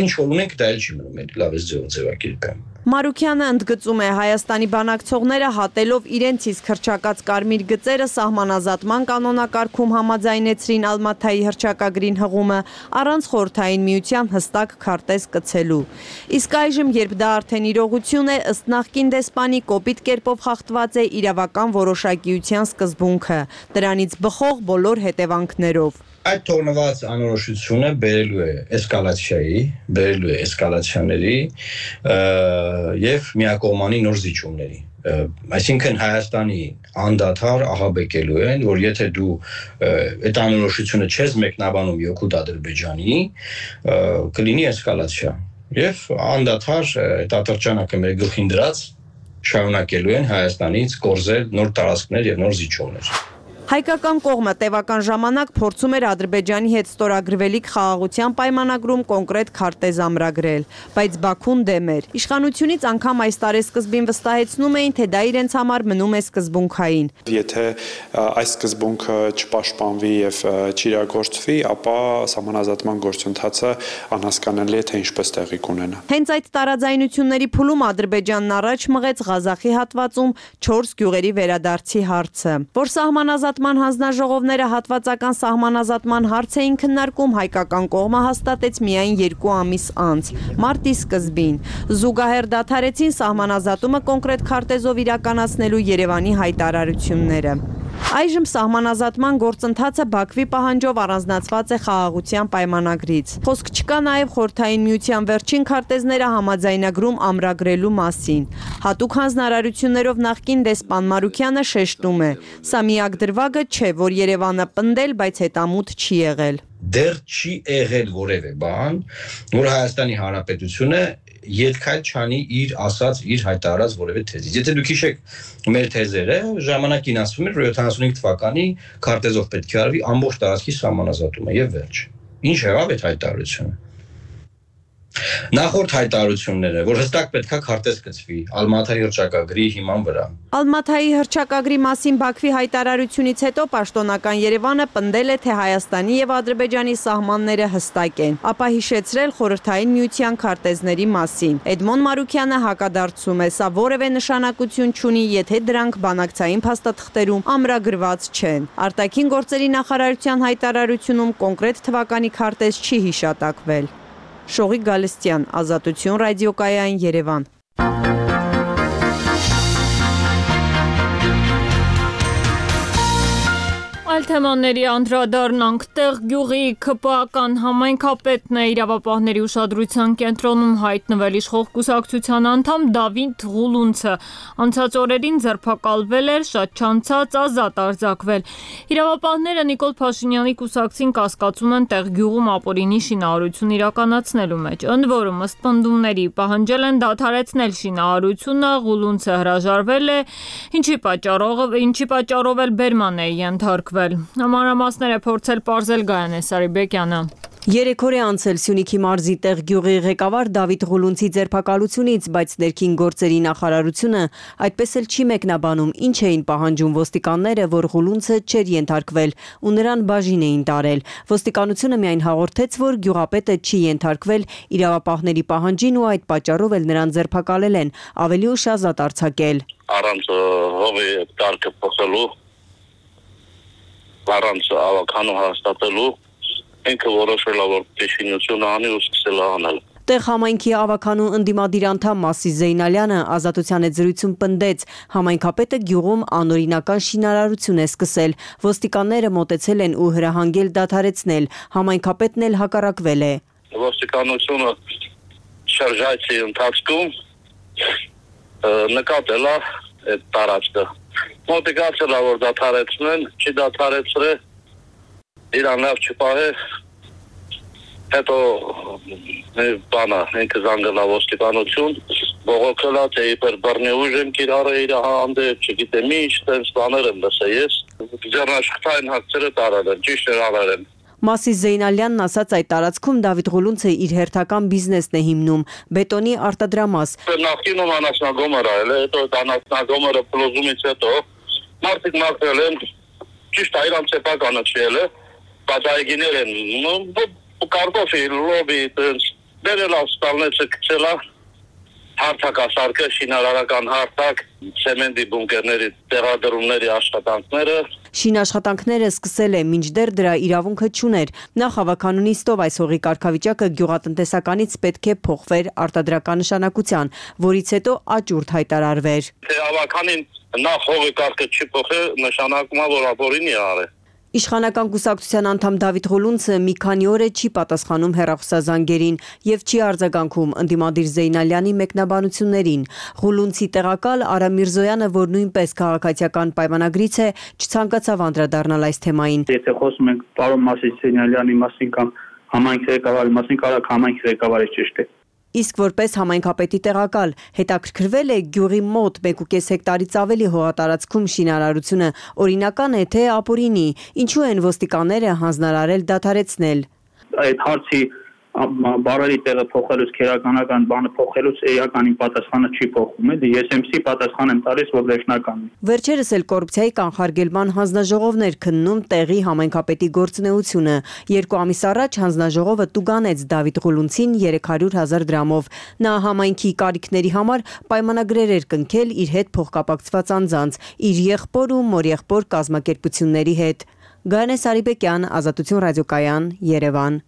ինչ որ ունենք դա էլ չի մնում, լավ էս ձևակերպեմ։ Մարուքյանը ընդգծում է, Հայաստանի բանակցողները հատելով իրենց իսկ հռչակած կարմիր գծերը սահմանազատման կանոնակարգում համաձայնեցրին Ալմաթայի հռչակագրին հղումը առանց խորհրդային միության հստակ քարտեզ կցելու։ Իսկ այժմ, երբ դա արդեն իրողություն է, ըստ նախկին դեսպանի կոպիտ կերպով խախտված է իրավական որոշակիության սկզբունքը, դրանից բխող բոլոր հետևանքներով։ Այդ թողնված անորոշությունը բերելու է էսկալացիայի, բերելու է էսկալացիաների եւ միակողմանի նոր զիջումների։ Այսինքն Հայաստանի անդադար ահաբեկելու են, որ եթե դու այդ անորոշությունը չես մեկնաբանում յոքուտ Ադրբեջանի, կլինի էսկալացիա։ Եվ անդադար այդ ատրճանակը մեր գլխին դրած շարունակելու են Հայաստանից կորզել նոր տարածքներ եւ նոր զիջումներ։ Հայկական կողմը տևական ժամանակ փորձում էր Ադրբեջանի հետ ստորագրվելիք խաղաղության պայմանագրում կոնկրետ քարտեզ ամրագրել, բայց Բաքուն դեմ էր։ Իշխանությունից անգամ այս տարեսկզբին վստահեցնում էին, թե դա իրենց համար մնում է սկզբունքային։ Եթե այս սկզբունքը չպաշտպանվի եւ չիրագործվի, ապա սահմանազատման գործընթացը անհասկանալի է, թե ինչպես տեղի կունենա։ Հենց այդ տարաձայնությունների փուլում Ադրբեջանն առաջ մղեց Ղազախի հատվածում 4 գյուղերի վերադարձի հարցը, որ սահմանազատման հանձնաժողովները հատվածական սահմանազատման հարց էին քննարկում, հայկական կողմը հաստատեց միայն 2 ամիս անց, մարտի սկզբին։ Զուգահեռ դադարեցին սահմանազատումը կոնկրետ քարտեզով իրականացնելու Երևանի հայտարարությունները։ Այժմ սահմանազատման գործընթացը Բաքվի պահանջով առանձնացված է խաղաղության պայմանագրից։ Խոսք չկա նաև խորհրդային միության վերջին քարտեզները համաձայնագրում ամրագրելու մասին։ Հատուկ հանձնարարություններով նախկին դեսպան Մարուքյանը շեշտում է. սա միակ դրվագը չէ, որ Երևանը պնդել, բայց հետամուտ չի եղել։ Դեռ չի եղել որևէ բան, որ Հայաստանի Հանրապետությունը ետքայլ չանի իր ասած, իր հայտարարած որևէ թեզից։ Եթե դուք հիշեք մեր թեզերը, ժամանակին ասվում էր, որ 75 թվականի քարտեզով պետք է արվի ամբողջ տարածքի սահմանազատումը եւ վերջ։ Ինչ եղավ այդ հայտարարությունը։ Նախորդ հայտարարությունները, որ հստակ պետքա քարտեզ գծվի Ալմաթայի հռչակագրի հիման վրա։ Ալմաթայի հռչակագրի մասին Բաքվի հայտարարությունից հետո պաշտոնական Երևանը պնդել է, թե Հայաստանի եւ Ադրբեջանի սահմանները հստակ են, ապա հիշեցրել խորհրդային միության քարտեզների մասին։ Էդմոն Մարուքյանը հակադարձում է, սա որևէ նշանակություն չունի, եթե դրանք բանակցային փաստաթղթերում ամրագրված չեն։ Արտաքին գործերի նախարարության հայտարարությունում կոնկրետ թվականի քարտեզ չի հիշատակվել։ Շողիկ Գալստյան, Ազատություն ռադիոկայան, Երևան։ Այլ թեմաների անդրադառնանք, տեղ գյուղի ՔՊԱ-ական համայնքապետն է իրավապահների ուշադրության կենտրոնում հայտնվել իշխող կուսակցության անդամ Դավիթ Ղուլունցը, անցած օրերին ձերբակալվել էր, շատ չանցած ազատ արձակվել։ Իրավապահները Նիկոլ Փաշինյանի կուսակցին կասկածում են տեղ գյուղում ապօրինի շինարարություն իրականացնելու մեջ, ընդ որում ըստ պնդումների պահանջել են դադարեցնել շինարարությունը, Ղուլունցը հրաժարվել է, ինչի պատճառով էլ բերման է ենթարկվել։ Մանրամասները փորձել պարզել Գայանե Սարիբեկյանը։ 3 օր է անցել Սյունիքի մարզի տեղ գյուղի ղեկավար Դավիթ Ղուլունցի ձերբակալությունից, բայց ներքին գործերի նախարարությունը այդպես էլ չի մեկնաբանում, ինչ էին պահանջում ոստիկանները, որ Ղուլունցը չէր ենթարկվել ու նրան բաժին էին տարել։ Ոստիկանությունը միայն հաղորդեց, որ գյուղապետը չի ենթարկվել իրավապահների պահանջին ու այդ պատճառով էլ նրան ձերբակալել են, ավելի ուշ ազատ արձակել։ Առանց հողի տարկը փոխելու, առանց ավականու հաստատելու ինքը որոշել է, որ շինությունը անի ու սկսել է անել։ Տեղ համայնքի ավականու ընդդիմադիր անդամ Մասի Զեյնալյանը ազատության հետ զրույցում պնդեց, համայնքապետը գյուղում անօրինական շինարարություն է սկսել, ոստիկանները մոտեցել են ու հրահանգել դադարեցնել, համայնքապետն էլ հակառակվել է։ Ոստիկանությունը շարժայցի ընթացքում նկատել է այդ տարածքը։ Մոտիկացել է, որ դադարեցնեն, չի դադարեցրել, իրան լավ չպահե, հետո բանը ինքը զանգել է ոստիկանություն, բողոքելա թե իբր բռնի ուժ եմ կիրառել իր հանդեպ, չգիտեմ ինչ, տենց բաներ եմ լսել ես։ Ձեռնաշխատային հակցերը տարել են, ճիշտ էր արել են։ Մասիս Զեյնալյանն ասաց այդ տարածքում Դավիթ Ղուլունցը իր հերթական բիզնեսն է հիմնում՝ բետոնի արտադրամաս։ Նախկինում անասնագոմեր այլ է, հետո այդ անասնագոմերը փլուզումից հետո մարդիկ մաքրել են, ճիշտ է իրանց սեփականը չել է, բայց այգիներ են, կարտոֆիլ, լոբի, տենց, բերել ավստալնեցը կցելա, հարթակասարկը, շինարարական հարթակ, ցեմենտի բունկերների տեղադրումների աշխատանքները։ Շինաշխատանքները սկսել է, մինչդեռ դրա իրավունքը չուներ։ Նախ հավաքանունիստով այս հողի կարգավիճակը գյուղատնտեսականից պետք է փոխվեր արտադրական նշանակության, որից հետո աճուրդ հայտարարվեր։ Թե հավաքանին նախ հողի կարգը չի փոխել, նշանակում է, որ ապօրինի արել։ Իշխանական կուսակցության անդամ Դավիթ Ղուլունցը մի քանի օր է չի պատասխանում հեռախոսազանգերին եւ չի արձագանքում ընդդիմադիր Զեյնալյանի մեկնաբանություններին։ Ղուլունցի տեղակալ Արա Միրզոյանը, որ նույնպես քաղաքացիական պայմանագրից է, չցանկացավ անդրադառնալ այս թեմային։ Եթե խոսում ենք պարոն Մասիս Զեյնալյանի մասին կամ համայնքի ղեկավարի մասին, կարող համայնքի ղեկավարը ճիշտ է։ Իսկ որպես համայնքապետի տեղակալ հետաքրքրվել է գյուղի մոտ 1.5 հեկտարից ավելի հողատարածքում շինարարությունը, օրինական է թե ապօրինի, ինչու են ոստիկանները հանձնարարել դադարեցնել։ Այդ հարցի բարերի տեղը փոխելուց քերականական բանը փոխելուց էականին պատասխանը չի փոխում, էլի ես MC պատասխան եմ տալիս, որ վերջնական է։ Վերջերս էլ կոռուպցիայի կանխարգելման հանձնաժողովներ քննում տեղի համայնքապետի գործունեությունը։ 2 ամիս առաջ հանձնաժողովը տուգանեց Դավիթ Ղուլունցին 300,000 դրամով։ Նա համայնքի կարիքների համար պայմանագրեր էր կնքել իր հետ փոխկապակցված անձանց, իր եղբոր ու մորեղբոր կազմակերպությունների հետ։ Գայանե Սարիբեկյան, Ազատություն ռադիոկայան, Երևան։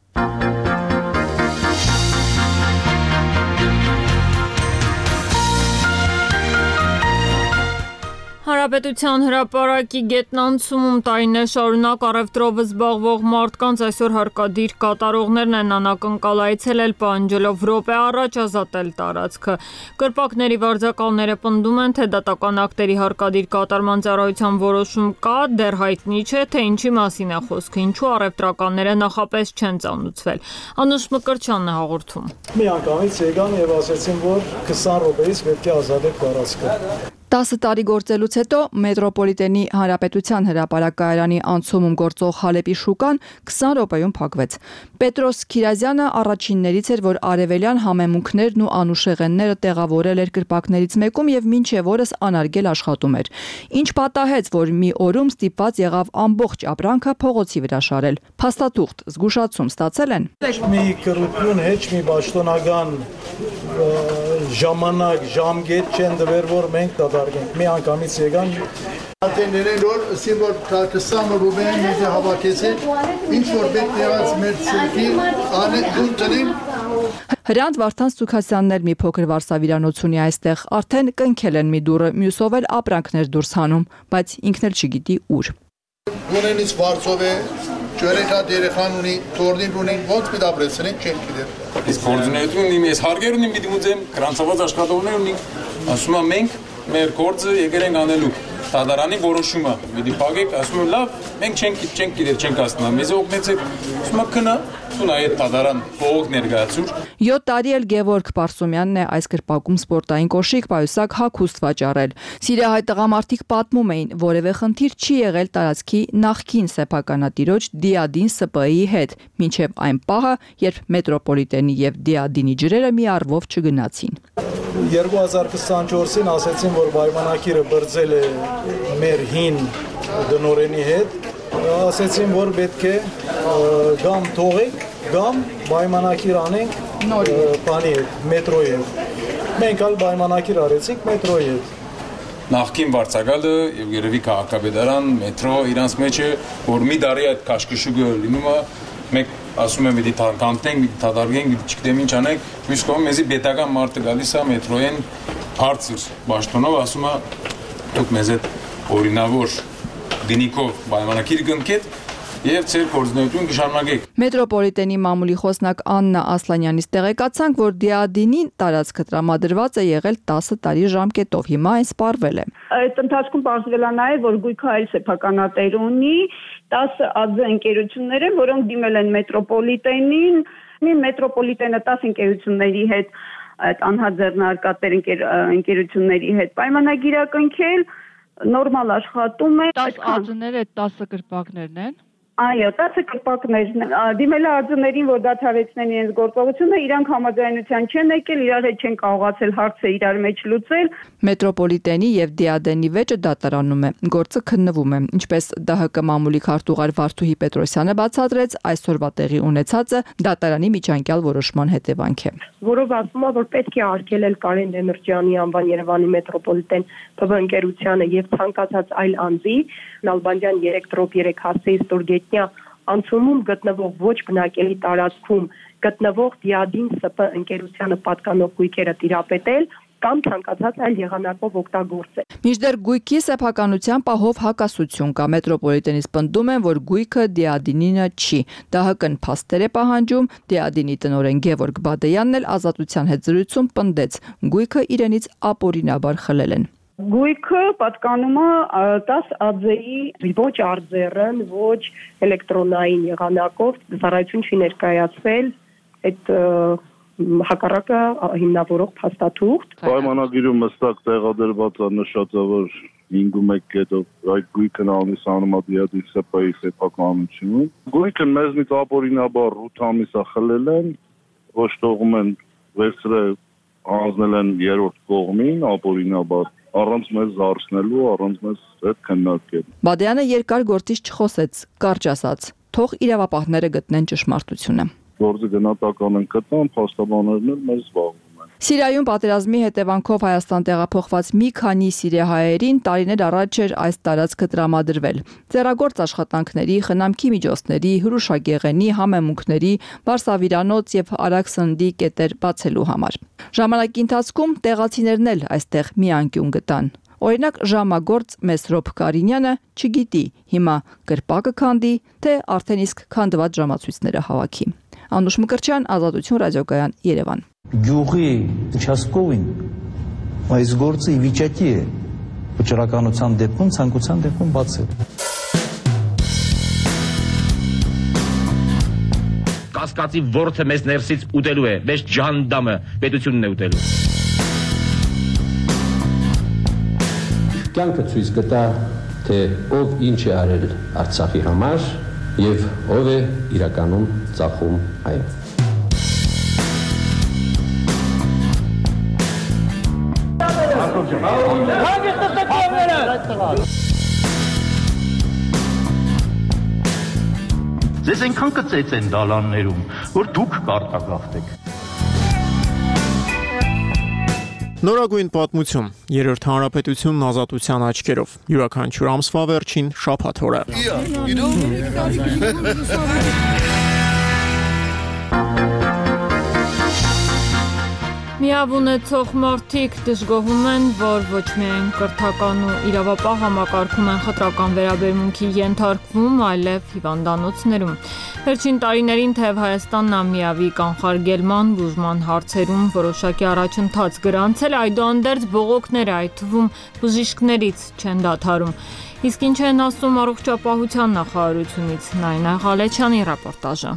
Հանրապետության հրապարակի գետնանցումում տարիներ շարունակ առևտրով զբաղվող մարդկանց այսօր հարկադիր կատարողներն են անակնկալ այցելել պահանջելով րոպե առաջ ազատել տարածքը։ Կրպակների վարձակալները պնդում են, թե դատական ակտերի հարկադիր կատարման ծառայության որոշում կա, դեռ հայտնի չէ, թե ինչի մասին է խոսքը, ինչու առևտրականները նախապես չեն ծանուցվել։ Անուշ Մկրտչյանն է հաղորդում։ Միանգամից եկան եւ ասացին, որ 20 րոպեից պետք է ազատել տարածքը։ 10 տարի գործելուց հետո մետրոպոլիտենի հանրապետության հրապարակայարանի անցումում գործող Հալեպի շուկան 20 րոպեում փակվեց։ Պետրոս Քիրազյանը առաջիններից էր, որ արևելյան համեմունքներն ու անուշեղենները տեղավորել էր կրպակներից մեկում եւ մինչեւ օրս անարգել աշխատում էր։ Ինչ պատահեց, որ մի օրում ստիպված եղավ ամբողջ ապրանքը փողոցի վրա շարել։ Փաստաթուղթ, զգուշացում ստացել են։ Մի կրություն հեչ մի պաշտոնական ժամանակ, ժամկետ չեն դվեր, որ մենք դադարենք։ Մի անգամից եկան Ատեներեն որ սիմվոլ 20 ռուբեն մեզ հավաքեցին, ինչ որ պետք եղած մեր ցերքի անը դու տնին։ Հրանտ Վարդան Սուքասյանն էլ մի փոքր վարսավիրանոց ունի այստեղ, արդեն կնքել են մի դուռը, մյուսով էլ ապրանքներ դուրս հանում, բայց ինքն էլ չգիտի ուր։ Գունենից վարձով է, ջերեխա դերեխան ունի, թորնին ունի, ոնց մի դաբրեցնեն, չեն գիտեր։ Իսկ գործունեություն ունի, ես հարգեր ունիմ, պիտի ուզեմ, գրանցված աշխատողներ ունի, ասում եմ մենք մեր գործը եկել ենք անելու։ Դատարանի որոշումը պիտի փակեք, ասում եմ լավ, մենք չենք գիտեր, չենք ասնա, մեզ օգնեցեք, ասում եմ քնա, սունա այդ դատարան փող ներկայացուր։ 7 տարի էլ Գևորգ Պարսումյանն է այս կրպակում սպորտային կոշիկ պայուսակ հագուստ վաճառել։ Սիրիահայ տղամարդիկ պատմում էին, որևէ խնդիր չի եղել տարածքի նախկին սեփականատիրոջ Դիադին ՍՊ-ի հետ, մինչև այն պահը, երբ մետրոպոլիտենի եւ Դիադինի ջրերը մի առվով չգնացին։ 2024-ին ասացին, որ պայմանակիրը բրձել է մեր հին դնորենի հետ, ասացին, որ պետք է գամ թողեք, գամ պայմանակիր անենք բանի հետ, մետրոյի հետ։ Մենք ալ պայմանակիր արեցինք մետրոյի հետ։ Նախկին վարձակալը եւ երևի քաղաքապետարան, մետրո իրանց մեջ է, որ մի տարի այդ քաշքշուկը լինում է, մենք ասում եմ, պիտի կանտնենք, պիտի դադարենք, պիտի չգիտեմ ինչ անենք, մյուս կողմը մեզի պետական մարդը գալիս է մետրոյեն բարձր բաշտոնով, ասում է դուք մեզ այդ օրինավոր դինիկով պայմանակիր կնքեք եւ ծեր գործունեություն կշարունակեք։ Մետրոպոլիտենի մամուլի խոսնակ Աննա Ասլանյանից տեղեկացանք, որ Դիադինի տարածքը տրամադրված է եղել 10 տարի ժամկետով, հիմա այն սպառվել է։ Այդ ընթացքում պարզվել է նաեւ, որ գույքը այլ սեփականատեր ունի 10 ԱԶ ընկերություններ են, որոնք դիմել են մետրոպոլիտենին, մետրոպոլիտենը 10 ընկերությունների հետ այդ անհաձեռնարկատեր ընկերությունների հետ պայմանագիրակնքել, նորմալ աշխատում է։ 10 ԱԾՆ-ները 10 կրպակներն են։ Այո, 10 կրպակներն դիմել ԱԾՆ-ներին, որ դադարեցնեն իրենց գործողությունը, իրանք համաձայնության չեն եկել, իրար հետ չեն կարողացել հարցը իրար մեջ լուծել։ Մետրոպոլիտենի եւ Դիադենի վեճը դատարանում է, գործը քննվում է, ինչպես ԴՀԿ մամուլի քարտուղար Վարդուհի Պետրոսյանը բացատրեց, այսօրվա տեղի ունեցածը դատարանի միջանկյալ որոշման հետևանք է։ Որով ասում է, որ պետք է արգելել Կարեն Դեմիրճյանի անվան Երևանի մետրոպոլիտեն ՓՎ ընկերությանը եւ ցանկացած այլ անձի Նալբանդյան 3/3 հասցեի ստորգետնյա անցումում գտնվող ոչ բնակելի տարածքում գտնվող Դիադին ՍՊ ընկերությանը պատկանող գույքերը տիրապետել կամ ցանկացած այլ եղանակով օգտագործել։ Մինչդեռ գույքի սեփականության պահով հակասություն կա, մետրոպոլիտենից պնդում են, որ գույքը Դիադինինը չի։ ԴՀԿ-ն փաստեր է պահանջում, Դիադինի տնօրեն Գևորգ Բադեյանն էլ Ազատության հետ զրույցում պնդեց, գույքը իրենից ապօրինաբար խլել են։ Գույքը պատկանում է 10 ԱԶ-ի ոչ արձեռն, ոչ էլեկտրոնային եղանակով ծառայություն չի ներկայացվել այդ հակառակը հիմնավորող փաստաթուղթ։ Պայմանագիրում հստակ տեղադրված է նշած է, որ 5.1 կետով այդ գույքն անիսանում է Դիադի ՍՊ-ի սեփականությունը։ Գույքը մեզնից ապօրինաբար 8 ամիս է խլել են, ոչ թողում են վերցրել հանձնել են երրորդ կողմին ապօրինաբար առանց մեզ զարսնելու, առանց մեզ հետ քննարկելու։ Բադյանը երկար գործից չխոսեց, կարճ ասաց, թող իրավապահները գտնեն ճշմարտությունը։ Գործը գնահատական են գտան, փաստաբաններն էլ մեզ զբաղվում են։ Սիրիայում պատերազմի հետևանքով Հայաստան տեղափոխված մի քանի սիրիահայերին տարիներ առաջ էր այս տարածքը տրամադրվել։ Ձեռագործ աշխատանքների, խնամքի միջոցների, հրուշագեղենի, համեմունքների, բարսավիրանոց եւ արաքսնդի կետեր բացելու համար։ Ժամանակի ընթացքում տեղացիներն էլ այստեղ մի անկյուն գտան։ Օրինակ ժամագործ Մեսրոպ Կարինյանը չգիտի հիմա կրպակը քանդի, թե արդեն իսկ քանդված ժամացույցները հավաքի։ Անուշ Մկրտչյան, Ազատություն ռադիոկայան, Երևան։ Գյուղի участковին այս գործը ի վիճակի է վճռականության դեպքում, ցանկության դեպքում բացել։ Կասկածի ворթը մեզ ներսից ուտելու է, մեզ ջանդամը պետությունն է ուտելու։ Կյանքը ցույց կտա, թե ով ինչ է արել Արցախի համար եւ ով է իրականում ծախում այն։ Ձեզ այնքան կծեց են դալաններում, որ դուք կարտագաղթեք։ Նորագույն պատմություն, երրորդ հանրապետությունն ազատության աչքերով, յուրաքանչյուր ամսվա վերջին շաբաթ օրը։ Միավ ունեցող մարդիկ դժգոհում են, որ ոչ միայն կրթական ու իրավապահ համակարգում են խտրական վերաբերմունքի ենթարկվում, այլև հիվանդանոցներում։ Վերջին տարիներին թեև Հայաստանն ամիավի կանխարգելման, բուժման հարցերում որոշակի առաջընթաց գրանցել, այդուհանդերձ բողոքները, այդ թվում բժիշկներից չեն դադարում։ Իսկ ինչ են ասում առողջապահության նախարարությունից, Նայնա Ղալեչյանի ռեպորտաժը։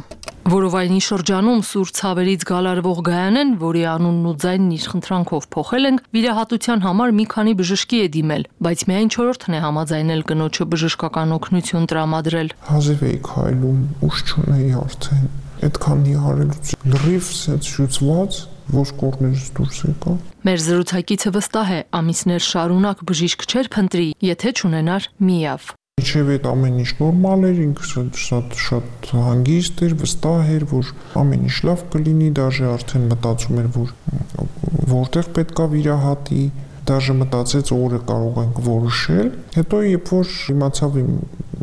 Որովայնի շրջանում սուր ցավերից գալարվող Գայանեն, որի անունն ու ձայնն իր խնդրանքով փոխել ենք, վիրահատության համար մի քանի բժշկի է դիմել, բայց միայն 4-ն է համաձայնել կնոջը բժշկական օգնություն տրամադրել։ Հազիվ էի քայլում, ուշ չունեի արդեն, այդքան նիհարելուց լրիվ շուծված ոսկորներից դուրս եկա։ Մեր զրուցակիցը վստահ է, ամիսներ շարունակ բժիշկ չէր փնտրի, եթե չունենար միավ։ Իչև այդ ամեն ինչ նորմալ էր, ինքս շատ հանգիստ էր, վստահ էր, որ ամեն ինչ լավ կլինի, դաժե արդեն մտածում էր, որ որտեղ պետքա վիրահատի, դաժե մտածեց օրը կարող ենք որոշել, հետո երբ որ իմացավ իմ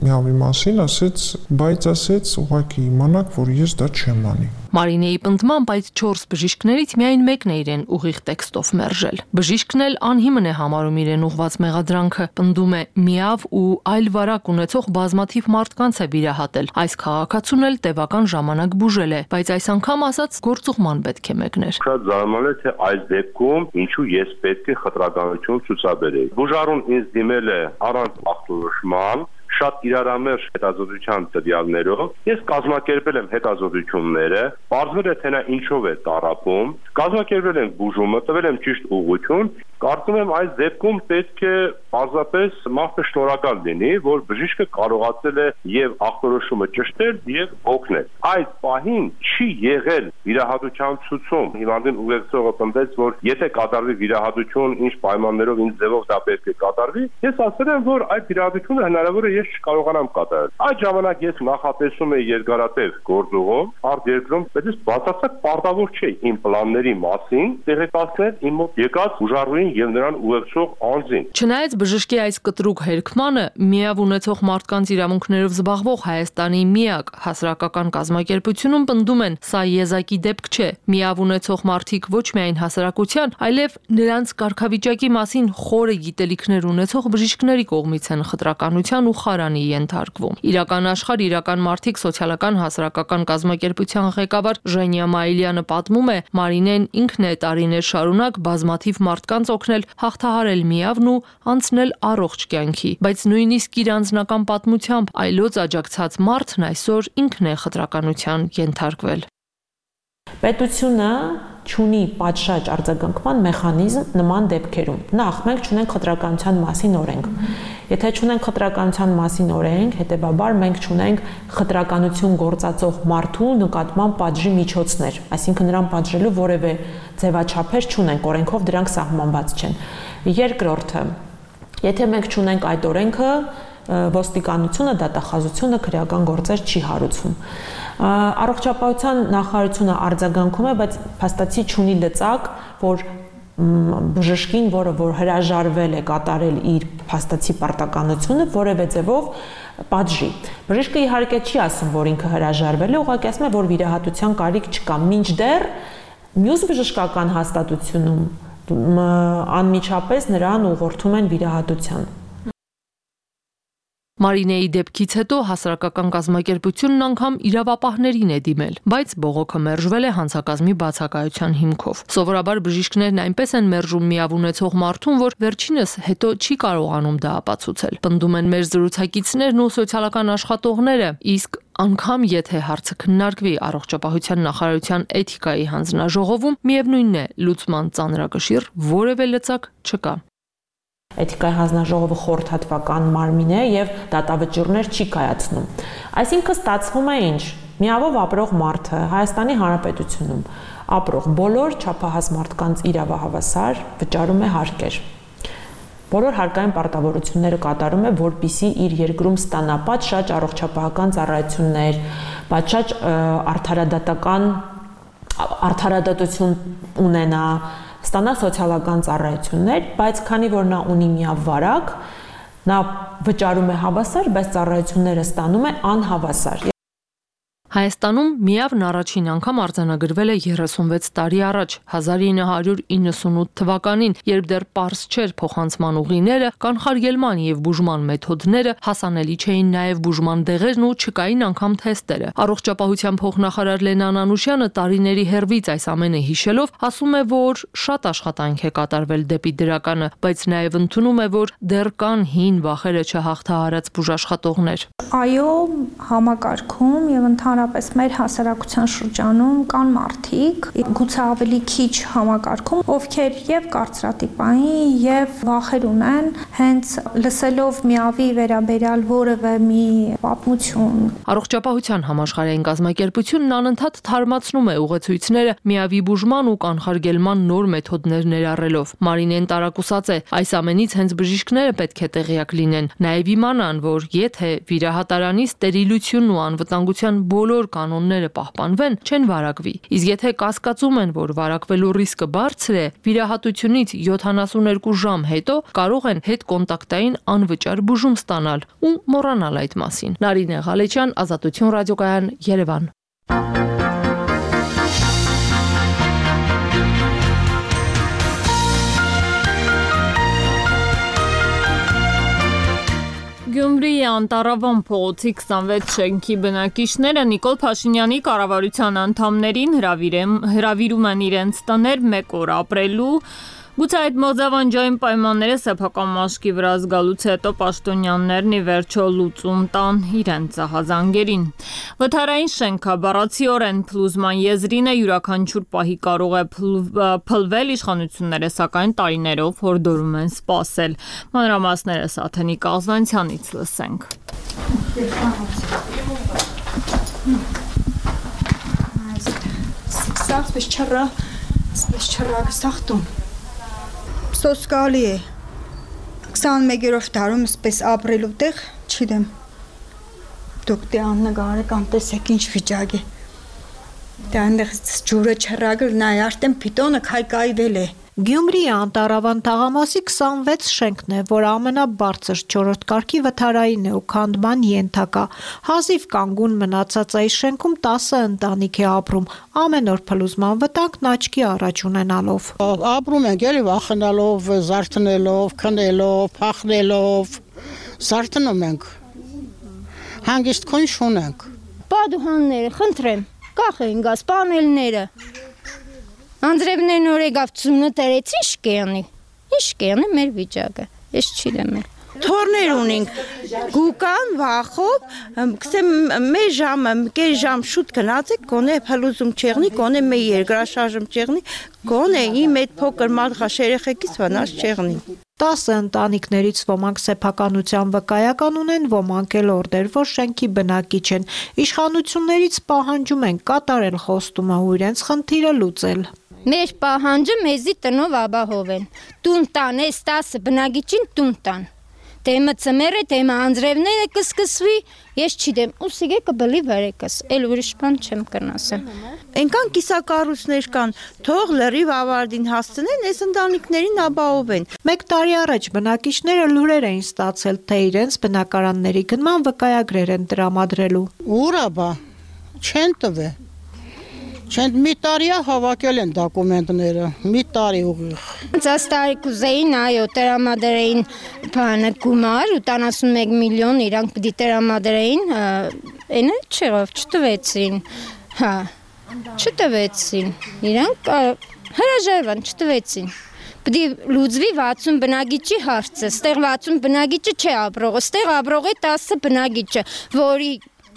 միավի մասին, ասեց, բայց ասեց ուղղակի իմանաք, որ ես դա չեմ անի։ Մարինեի պնդմամբ այդ 4 բժիշկներից միայն մեկն է իրեն ուղիղ տեքստով մերժել։ Բժիշկն էլ անհիմն է համարում իրեն ուղված մեղադրանքը, պնդում է միավ ու այլ վարակ ունեցող բազմաթիվ մարդկանց է վիրահատել։ Այս քաղաքացուն էլ տևական ժամանակ բուժել է, բայց այս անգամ ասաց գործուղման պետք է մեկներ։ Շատ զարմանալի է, թե այս դեպքում ինչու ես պետք է խտրականություն ցուցաբերեի։ Բուժարուն ինձ դիմել է առանց ախտորոշման, շատ իրարամերժ հետազոտության տվյալներով, ես կազմակերպել եմ հետազոտությունները, պարզվել է թե նա ինչով է տառապում, կազմակերպել եմ բուժումը, տվել եմ ճիշտ ուղղություն, կարծում եմ այս դեպքում պետք է պարզապես մարդը շնորհակալ լինի, որ բժիշկը կարողացել է եւ ախտորոշումը ճշտել եւ օգնել։ Այս պահին չի եղել վիրահատության ցուցում։ Հիվանդին ուղեկցողը պնդեց, որ եթե կատարվի վիրահատություն, ինչ պայմաններով, ինչ ձևով դա պետք է կատարվի, ես ասել եմ, որ այդ վիրահատությունը հնարավոր է ես չկարողանամ կատարել։ Այդ ժամանակ ես նախատեսում էի երկարատև գործողով, արտերկրում, բայց ես բացարձակ պարտավոր չէի իմ պլանների մասին տեղեկացնել իմ մոտ եկած ուժառուին եւ նրան ուղեկցող անձին։ Չնայած բժշկի այս կտրուկ հերքմանը, միավ ունեցող մարդկանց իրավունքներով զբաղվող Հայաստանի միակ հասարակական կազմակերպությունում պնդում են, սա եզակի դեպք չէ։ Միավ ունեցող մարդիկ ոչ միայն հասարակության, այլև նրանց կարգավիճակի մասին խորը գիտելիքներ ունեցող բժիշկների կողմից են խտրականության ու խարանի ենթարկվում։ Իրական աշխարհ, իրական մարդիկ սոցիալական հասարակական կազմակերպության ղեկավար Ժենիա Մայիլյանը պատմում է, Մարինեն ինքն է տարիներ շարունակ բազմաթիվ մարդկանց օգնել հաղթահարել միավն ու անցնել առողջ կյանքի, բայց նույնիսկ իր անձնական պատմությամբ այլոց աջակցած մարդն այսօր ինքն է խտրականության ենթարկվել։ Պետությունը չունի պատշաճ արձագանքման մեխանիզմ նման դեպքերում։ Նախ մենք չունենք խտրականության մասին օրենք։ Եթե չունենք խտրականության մասին օրենք, հետեւաբար մենք չունենք խտրականություն գործածող մարդու նկատմամբ պատժի միջոցներ, այսինքն նրան պատժելու որևէ ձևաչափեր չունենք, օրենքով դրանք սահմանված չեն։ Երկրորդը, եթե մենք չունենք այդ օրենքը, ոստիկանությունը, դատախազությունը քրեական գործեր չի հարուցում։ Առողջապահության նախարարությունը արձագանքում է, բայց փաստացի չունի լծակ, որ բժշկին, որը որ հրաժարվել է կատարել իր փաստացի պարտականությունը, որևէ ձևով պատժի։ Բժիշկը իհարկե չի ասում, որ ինքը հրաժարվել է, ուղղակի ասում է, որ վիրահատության կարիք չկա, մինչդեռ մյուս բժշկական հաստատությունում անմիջապես նրան ուղղորդում են վիրահատության։ Մարինեի դեպքից հետո հասարակական կազմակերպությունն անգամ իրավապահներին է դիմել, բայց բողոքը մերժվել է հանցակազմի բացակայության հիմքով։ Սովորաբար բժիշկներն այնպես են մերժում միավ ունեցող մարդուն, որ վերջինս հետո չի կարողանում դա ապացուցել։ Պնդում են մեր զրուցակիցներն ու սոցիալական աշխատողները, իսկ անգամ եթե հարցը քննարկվի առողջապահության նախարարության էթիկայի հանձնաժողովում, միևնույնն է, լուծման ծանրակշիռ որևէ լծակ չկա։ Էթիկայի հանձնաժողովը խորհրդատվական մարմին է եւ դատավճիռներ չի կայացնում։ Այսինքն ստացվում է ինչ։ Միավով ապրող մարդը Հայաստանի Հանրապետությունում ապրող բոլոր չափահաս մարդկանց իրավահավասար վճարում է հարկեր։ Բոլոր հարկային պարտավորությունները կատարում է, որպիսի իր երկրում ստանա պատշաճ առողջապահական ծառայություններ, պատշաճ արդարադատություն ունենա, ստանա սոցիալական ծառայություններ, բայց քանի որ նա ունի միավ վարակ, նա վճարում է հավասար, բայց ծառայությունները ստանում է անհավասար։ Հայաստանում միավն առաջին անգամ արձանագրվել է 36 տարի առաջ, 1998 թվականին, երբ դեռ պարզ չէր փոխանցման ուղիները, կանխարգելման եւ բուժման մեթոդները, հասանելի չէին նաեւ բուժման դեղերն ու չկային անգամ թեստերը։ Առողջապահության փոխնախարար Լենան Անուշյանը տարիների հերվից այս ամենը հիշելով ասում է, որ շատ աշխատանք է կատարվել դեպի դրականը, բայց նաեւ ընդունում է, որ դեռ կան հին վախերը չհաղթահարած բուժաշխատողներ։ Այո, համակարգում եւ ընդհանրապես մեր հասարակության շրջանում կան մարդիկ, գուցե ավելի քիչ համակարգում, ովքեր եւ կարծրատիպային եւ վախեր ունեն, հենց լսելով միավի վերաբերյալ որևէ մի պատմություն։ Առողջապահության համաշխարհային կազմակերպությունն անընդհատ թարմացնում է ուղեցույցները միավի բուժման ու կանխարգելման նոր մեթոդներ ներառելով։ Մարինեն տարակուսած է, այս ամենից հենց բժիշկները պետք է տեղյակ լինեն, նաեւ իմանան, որ եթե վիրահատարանի ստերիլությունն ու անվտանգության բոլոր կանոնները պահպանվեն, չեն վարակվի։ Իսկ եթե կասկածում են, որ վարակվելու ռիսկը բարձր է, վիրահատությունից 72 ժամ հետո կարող են հետկոնտակտային անվճար բուժում ստանալ ու մոռանալ այդ մասին։ Նարինե Ղալեչյան, Ազատություն ռադիոկայան, Երևան։ Գյումրիի Անտառավան փողոցի 26 շենքի բնակիչները Նիկոլ Փաշինյանի կառավարության անդամներին հրավիրում են իրենց տներ 1 օր ապրելու, Գուցե այդ մոզավանջային պայմանները սեփական մաշկի վրա զգալուց հետո պաշտոնյաներն ի վերջո լուծում տան իրենց ահազանգերին։ Վթարային շենքը բառացիորեն փլուզման եզրին է, յուրաքանչյուր պահի կարող է փլվել, իշխանությունները սակայն տարիներով հորդորում են սպասել։ Մանրամասները Սաթենիկ Աղզանցյանից լսենք։ Սոսկալի է 21-րդ դարում սպես ապրելու տեղ չգիտեմ դուք դե աննկարեք անտեսեք ինչ վիճակ է դա այնտեղ ջուրը չռագել նայ արդեն պիտոնը քայքայվել է Գյումրիի Անտարավան թաղամասի 26 շենքն է, որ ամենաբարձր 4-րդ կարգի վթարային է ու քանդման ենթակա։ Հազիվ կանգուն մնացած այս շենքում 10 ընտանիք է ապրում, ամեն օր փլուզման վտանգն աչքի առաջ ունենալով։ Ապրում ենք էլի վախենալով, զարթնելով, քնելով, փախնելով, զարթնում ենք։ Հանգիստ քույն շունենք։ Պատուհանները, խնդրեմ, կախեն գազ պանելները։ Անձրևներն օրեգավցումը տերեցին ինչ կեղնի մեր վիճակը, ես չիդեմ էլ։ Թորներ ունենք, գուկան, վախով, կսեմ մեր ժամը, կեր ժամ շուտ գնացեք, կոնե փլուզում չեղնի, կոնե մեր երկրաշարժում չեղնի, կոնե իմ այդ փոքր մարդղաշ երեխեքից վնաս չեղնի։ 10 ընտանիքներից ոմանք սեփականության վկայական ունեն, ոմանք էլ օրդեր, որ շենքի բնակիչ են։ Իշխանություններից պահանջում են կատարել խոստումը ու իրենց խնդիրը լուծել։ Մեր պահանջը մեզի տնով ապահով են։ Տուն տան, այս 10 բնակիչին տուն տան։ Թեմը ծմերը, թեմը անձրևները կսկսվի, ես չգիտեմ, ուսիգե կբլի վարեկս, էլ ուրիշ բան չեմ կնասեմ։ Այնքան կիսակառույցներ կան, թող լրիվ ավարտին հասցնեն, այս ընտանիքներին ապահովեն։ 1 տարի առաջ բնակիչները լուրեր էին ստացել, թե իրենց բնակարանների գնման վկայագրեր են տրամադրելու։ Ուրա բա, չեն տվե։ Չեն մի տարիա հավաքել են դոկումենտները, մի տարի ուղիղ։ Ցած տարի կուզեին, այո, տրամադրեին բանը գումար 81 միլիոն իրանք պիտի տրամադրեին, այնը չեղավ, չտվեցին։ Հա, չտվեցին։ Իրանք հրաժարվան, չտվեցին։ Պիտի լուծվի 60 բնակիչի հարցը, ստեղ 60 բնակիչը չէ ապրող, ստեղ ապրող է 10 բնակիչը, որի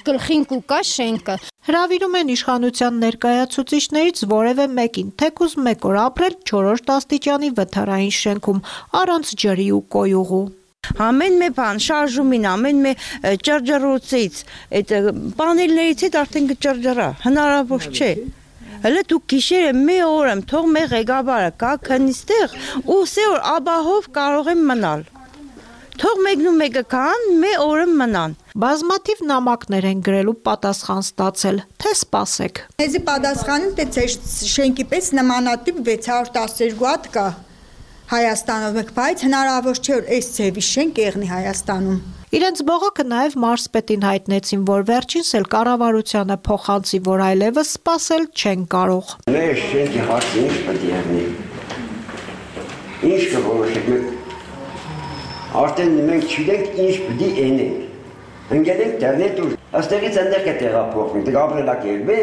գլխին կուկա շենքը։ Հրավիրում են իշխանության ներկայացուցիչներից որևէ մեկին, թեկուզ 1 օր ապրել 4-րդ աստիճանի վթարային շենքում, առանց ջրի ու կոյուղու։ Ամեն մի բան, շարժումին, ամեն մի ճրջռոցից, այդ պանելներից հետ արդեն կճրջրա, հնարավոր չէ։ Հələ դու գիշերը մի օր եմ, թող մեր ղեկավարը կա քնիստեղ ու սե օր ապահով կարող եմ մնալ։ Թող մեկը կան, մի օրը մնան։ Բազմաթիվ նամակներ են գրելու պատասխան ստացել, թե սպասեք։ Մեզի պատասխանում թե ձեր շենքի պես նմանատիպ 612 հատ կա Հայաստանով, բայց հնարավոր չէ որ այս ձևի շենք եղնի Հայաստանում։ Իրենց բողոքը նաև մարզպետին հայտնեցին, որ վերջինս էլ կառավարությանը փոխանցի, որ այլևս սպասել չեն կարող։ Մեր շենքի հարցը ինչ պետք է եղնի։ Ինչ կորոշեք Արդեն մենք չգիտենք ինչ պիտի ենենք։ Ընկերենք դեռնետ ուր, աստեղից ընդեղ է տեղափոխվում, դեղ ապրելակերպ է։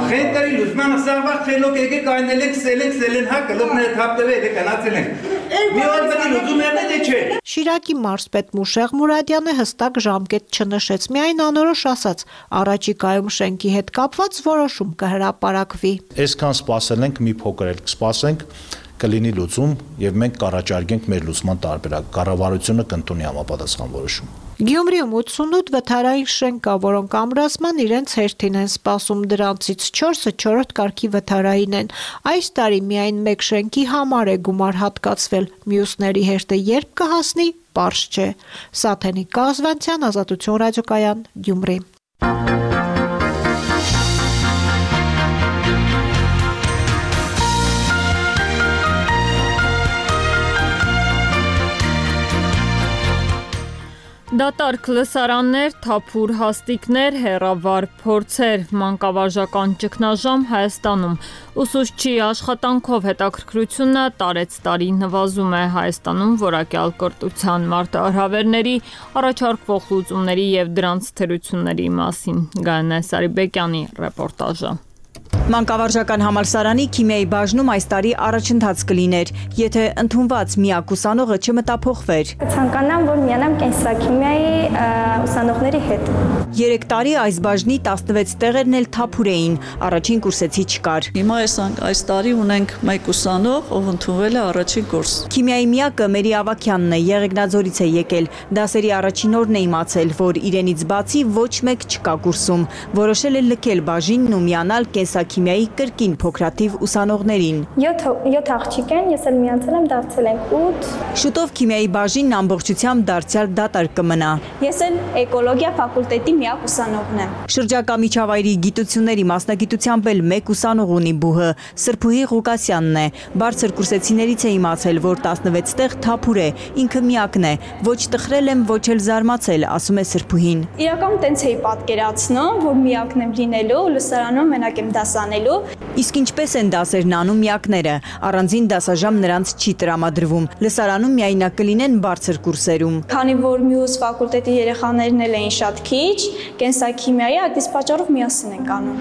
Խենտերի լուսման սարվար խելոք եկե կայնել ենք սելեն հա կլոպները թապտվել է կանացել ենք։ Մի օր պետի լուծում եղնե դե չէ։ Շիրակի մարզպետ Մուշեղ Մուրադյանը հստակ ժամկետ չնշեց, միայն անորոշ ասաց, առաջիկայում շենքի հետ կապված որոշում կհրապարակվի։ Այսքան սպասել ենք, մի փոքր էլ կսպասենք, կլինի լուծում եւ մենք կառաջարկենք մեր լուծման տարբերակ։ Կառավարությունը կընդունի համապատասխան որոշում։ Գյումրիում 88 վթարային շենք կա, որոնք ամրացման իրենց հերթին են սպասում, դրանցից 4-ը 4-րդ կարգի վթարային են։ Այս տարի միայն 1 շենքի համար է գումար հատկացվել, մյուսների հերթը երբ կհասնի, պարզ չէ։ Սաթենիկ Կազվանցյան, Ազատություն ռադիոկայան, Գյումրի։ Դատարկ լսարաններ, թափուր հաստիկներ, հեռավար փորձեր, մանկավարժական ճգնաժամ Հայաստանում։ Ուսուցչի աշխատանքով հետաքրքրությունը տարեցտարի նվազում է Հայաստանում որակյալ կրթության մարտահրավերների, առաջարկվող լուծումների եւ դրանց թերությունների մասին։ Գայանե Սարիբեկյանի ռեպորտաժը։ Մանկավարժական համալսարանի քիմիայի բաժնում այս տարի առաջընթաց կլիներ, եթե ընդունված միակ ուսանողը չմտափոխվեր։ Կցանկանամ, որ միանամ կենսաքիմիայի ուսանողների հետ։ 3 տարի այս բաժնի 16 տեղերն էլ թափուր էին, առաջին կուրսեցի չկար։ Հիմա այս տարի ունենք մեկ ուսանող, ով ընդունվել է առաջին կուրս։ Քիմիայի միակը Մերի Ավագյանն է, Եղեգնաձորից է եկել։ Դասերի առաջին օրն է իմացել, որ իրենից բացի ոչ մեկ չկա կուրսում։ Որոշել է լքել բաժինն ու միանալ կենսաքիմիայի կրկին փոքրաթիվ ուսանողներին։ 7 աղջիկ են, ես էլ միացել եմ, դարձել ենք 8։ Շուտով քիմիայի բաժինն ամբողջությամբ դարձյալ դատարկ կմնա։ Ես էլ էկոլոգիա ֆակուլտետի միակ ուսանողն եմ։ Շրջակա միջավայրի գիտությունների մասնագիտությամբ էլ մեկ ուսանող ունի բուհը, Սրբուհի Ղուկասյանն է։ Բարձր կուրսեցիներից է իմացել, որ 16 տեղ թափուր է, ինքը միակն է։ Ոչ տխրել եմ, ոչ էլ զարմացել, ասում է Սրբուհին։ Իրականում տենց էի պատկերացնում, որ միակն եմ լինելու, լսարանում մենակ եմ դասանելու։ Իսկ ինչպես են դասերն անում միակները, առանձին դասաժամ նրանց չի տրամադրվում։ Լսարանում միայնակ կլինեն բարձր կուրսերում։ Քանի որ մյուս ֆակուլտետի երեխաներն էլ էին շատ քիչ, կենսաքիմիայի այդ իսկ պատճառով միասին ենք անում։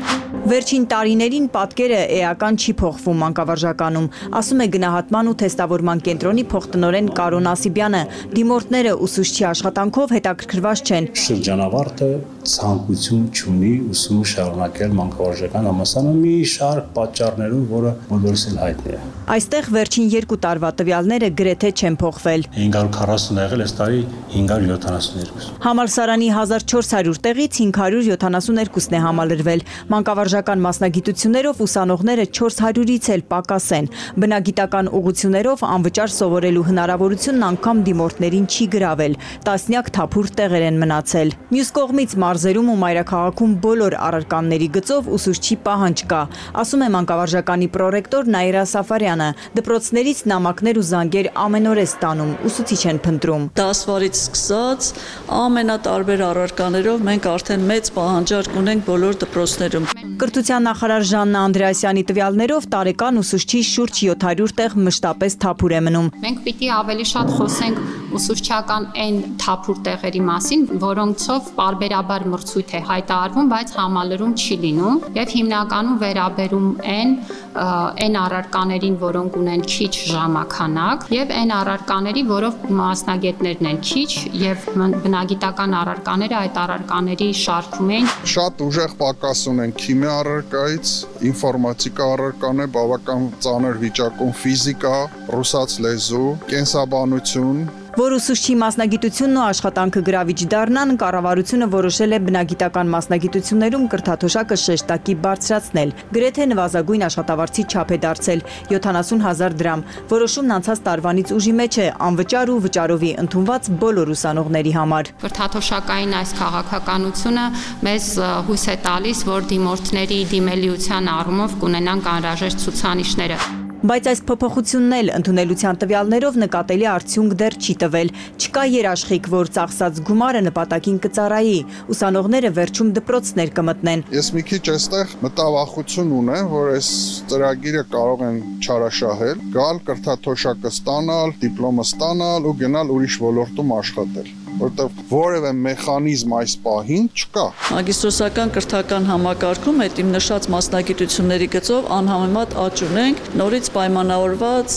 Վերջին տարիներին պատկերը էական չի փոխվում մանկավարժականում, ասում է գնահատման ու թեստավորման կենտրոնի փոխտնօրեն Կարոն Ասիբյանը։ Դիմորդները ուսուցչի աշխատանքով հետաքրքրված չեն։ Շրջանավարտը ցանկություն չունի ուսումը շարունակել մանկավարժական համալսարանում մի շարք պատճառներով, որը բոլորս էլ հայտնի է։ Այստեղ վերջին 2 տարվա տվյալները գրեթե չեն փոխվել։ 540 եղել, այս տարի 572։ Համալսարանի 1400 տեղից 572-ն է համալրվել։ Մանկավարժական մասնագիտություններով ուսանողները 400-ից էլ պակաս են։ Բնագիտական ուղղություններով անվճար սովորելու հնարավորությունն անգամ դիմորդներին չի գրավել։ Տասնյակ թափուր տեղեր են մնացել։ Մյուս կողմից մարզերում ու մայրաքաղաքում բոլոր առարկաների գծով ուսուցչի պահանջ կա, ասում է մանկավարժականի պրոռեկտոր Նաիրա Սաֆարյանը։ Դպրոցներից նամակներ ու զանգեր ամեն օր է ստանում, ուսուցիչ են փնտրում։ Դասվարից սկսած ամենատարբեր առարկաներով մենք արդեն մեծ պահանջարկ ունենք բոլոր դպրոցներում։ Կրթության նախարար Ժաննա Անդրեասյանի տվյալներով տարեկան ուսուցչի շուրջ 700 տեղ մշտապես թափուր է մնում։ Մենք պիտի ավելի շատ խոսենք ուսուցչական այն թափուր տեղերի մասին, որոնցով պարբերաբար մրցույթ է հայտարարվում, բայց համալրում չի լինում, եւ հիմնականում վերաբերում այն առարկաներին, որոնք ունեն քիչ ժամանակ, եւ այն առարկաների, որով մասնագետներն են քիչ, եւ բնագիտական առարկաները այդ առարկաների շարքում են։ Շատ ուժեղ պակաս ունեն քիմիա առարկայից, ինֆորմատիկա առարկան է բավական ծանր վիճակում, ֆիզիկա, ռուսաց լեզու, կենսաբանություն։ Որ ուսուցչի մասնագիտությունն ու աշխատանքը գրավիչ դառնան, կառավարությունը որոշել է բնագիտական մասնագիտություններում կրթաթոշակը շեշտակի բարձրացնել։ Գրեթե նվազագույն աշխատավարձի չափ է դարձել 70,000 դրամ։ Որոշումն անցած տարվանից ուժի մեջ է անվճար ու վճարովի ընդունված բոլոր ուսանողների համար։ Կրթաթոշակային այս քաղաքականությունը մեզ հույս է տալիս, որ դիմորդների դիմելիության առումով կունենանք անհրաժեշտ ցուցանիշները։ Բայց այս փոփոխությունն էլ ընդունելության տվյալներով նկատելի արդյունք դեռ չի տվել։ Չկա երաշխիք, որ ծախսած գումարը նպատակին կծառայի, ուսանողները վերջում դպրոցներ կմտնեն։ Ես մի քիչ այստեղ մտավախություն ունեմ, որ այս ծրագիրը կարող են չարաշահել, գալ կրթաթոշակը ստանալ, դիպլոմը ստանալ ու գնալ ուրիշ ոլորտում աշխատել, որտեղ որևէ մեխանիզմ այս պահին չկա։ Մագիստրոսական կրթական համակարգում այդ իմ նշած մասնագիտությունների գծով անհամեմատ աճ ունենք, նորից պայմանավորված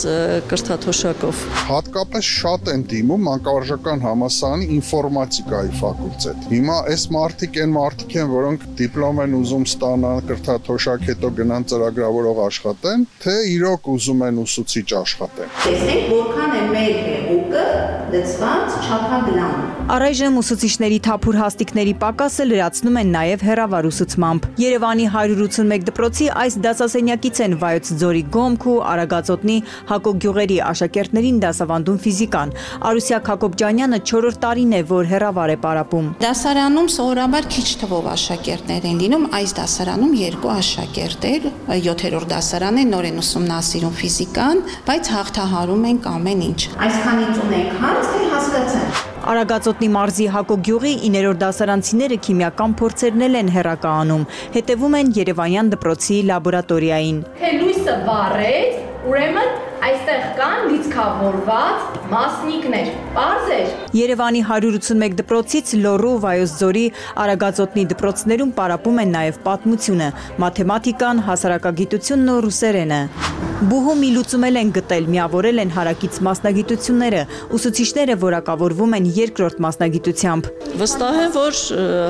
կրթաթոշակով։ Հատկապես շատ են դիմում մանկավարժական համալսարանի ինֆորմատիկայի ֆակուլտետ։ Հիմա այս մարդիկ են, որոնք դիպլոմ են ուզում ստանալ, կրթաթոշակ հետո գնան ծրագրավորող աշխատեն, թե իրոք ուզում են ուսուցիչ աշխատեն։ Տեսեք, որքան է մեր հեղուկը դծված չափագրամ։ Առայժմ ուսուցիչների թափուր հաստիկների պակասը լրացնում են նաև հեռավար ուսուցմամբ։ Երևանի 181 դպրոցի այս դասասենյակից են Վայոց ձորի Գոմք ու Արագածոտնի Հակոբ գյուղերի աշակերտներին դասավանդում ֆիզիկան։ Արուսյակ Հակոբջանյանը 4-րդ տարին է, որ հեռավար է պարապում։ Դասարանում սովորաբար քիչ թվով աշակերտներ են լինում, այս դասարանում 2 աշակերտեր, 7-րդ դասարան է, նոր են ուսումնասիրում ֆիզիկան, բայց հաղթահարում ենք ամեն ինչ։ Այսքանից ունենք հարց, թե հասկացան։ Արագածոտնի մարզի Հակոբ գյուղի 9-րդ դասարանցիները քիմիական փորձերն են հեռակա անում, հետևում են Երևանյան դպրոցի լաբորատորիային։ Թե լույսը լույսը վառեց, ուրեմն այստեղ կան լիցքավորված մասնիկներ։ Պարզ էր։ Երևանի 181 դպրոցից Լոռու, Վայոց ձորի, Արագածոտնի դպրոցներում պարապում են նաև պատմությունը, մաթեմատիկան, հասարակագիտությունն ու ռուսերենը։ Բուհում մի լուծում են գտել, միավորել են հարակից մասնագիտությունները, ուսուցիչները որակավորվում են երկրորդ մասնագիտությամբ։ Վստահ եմ, որ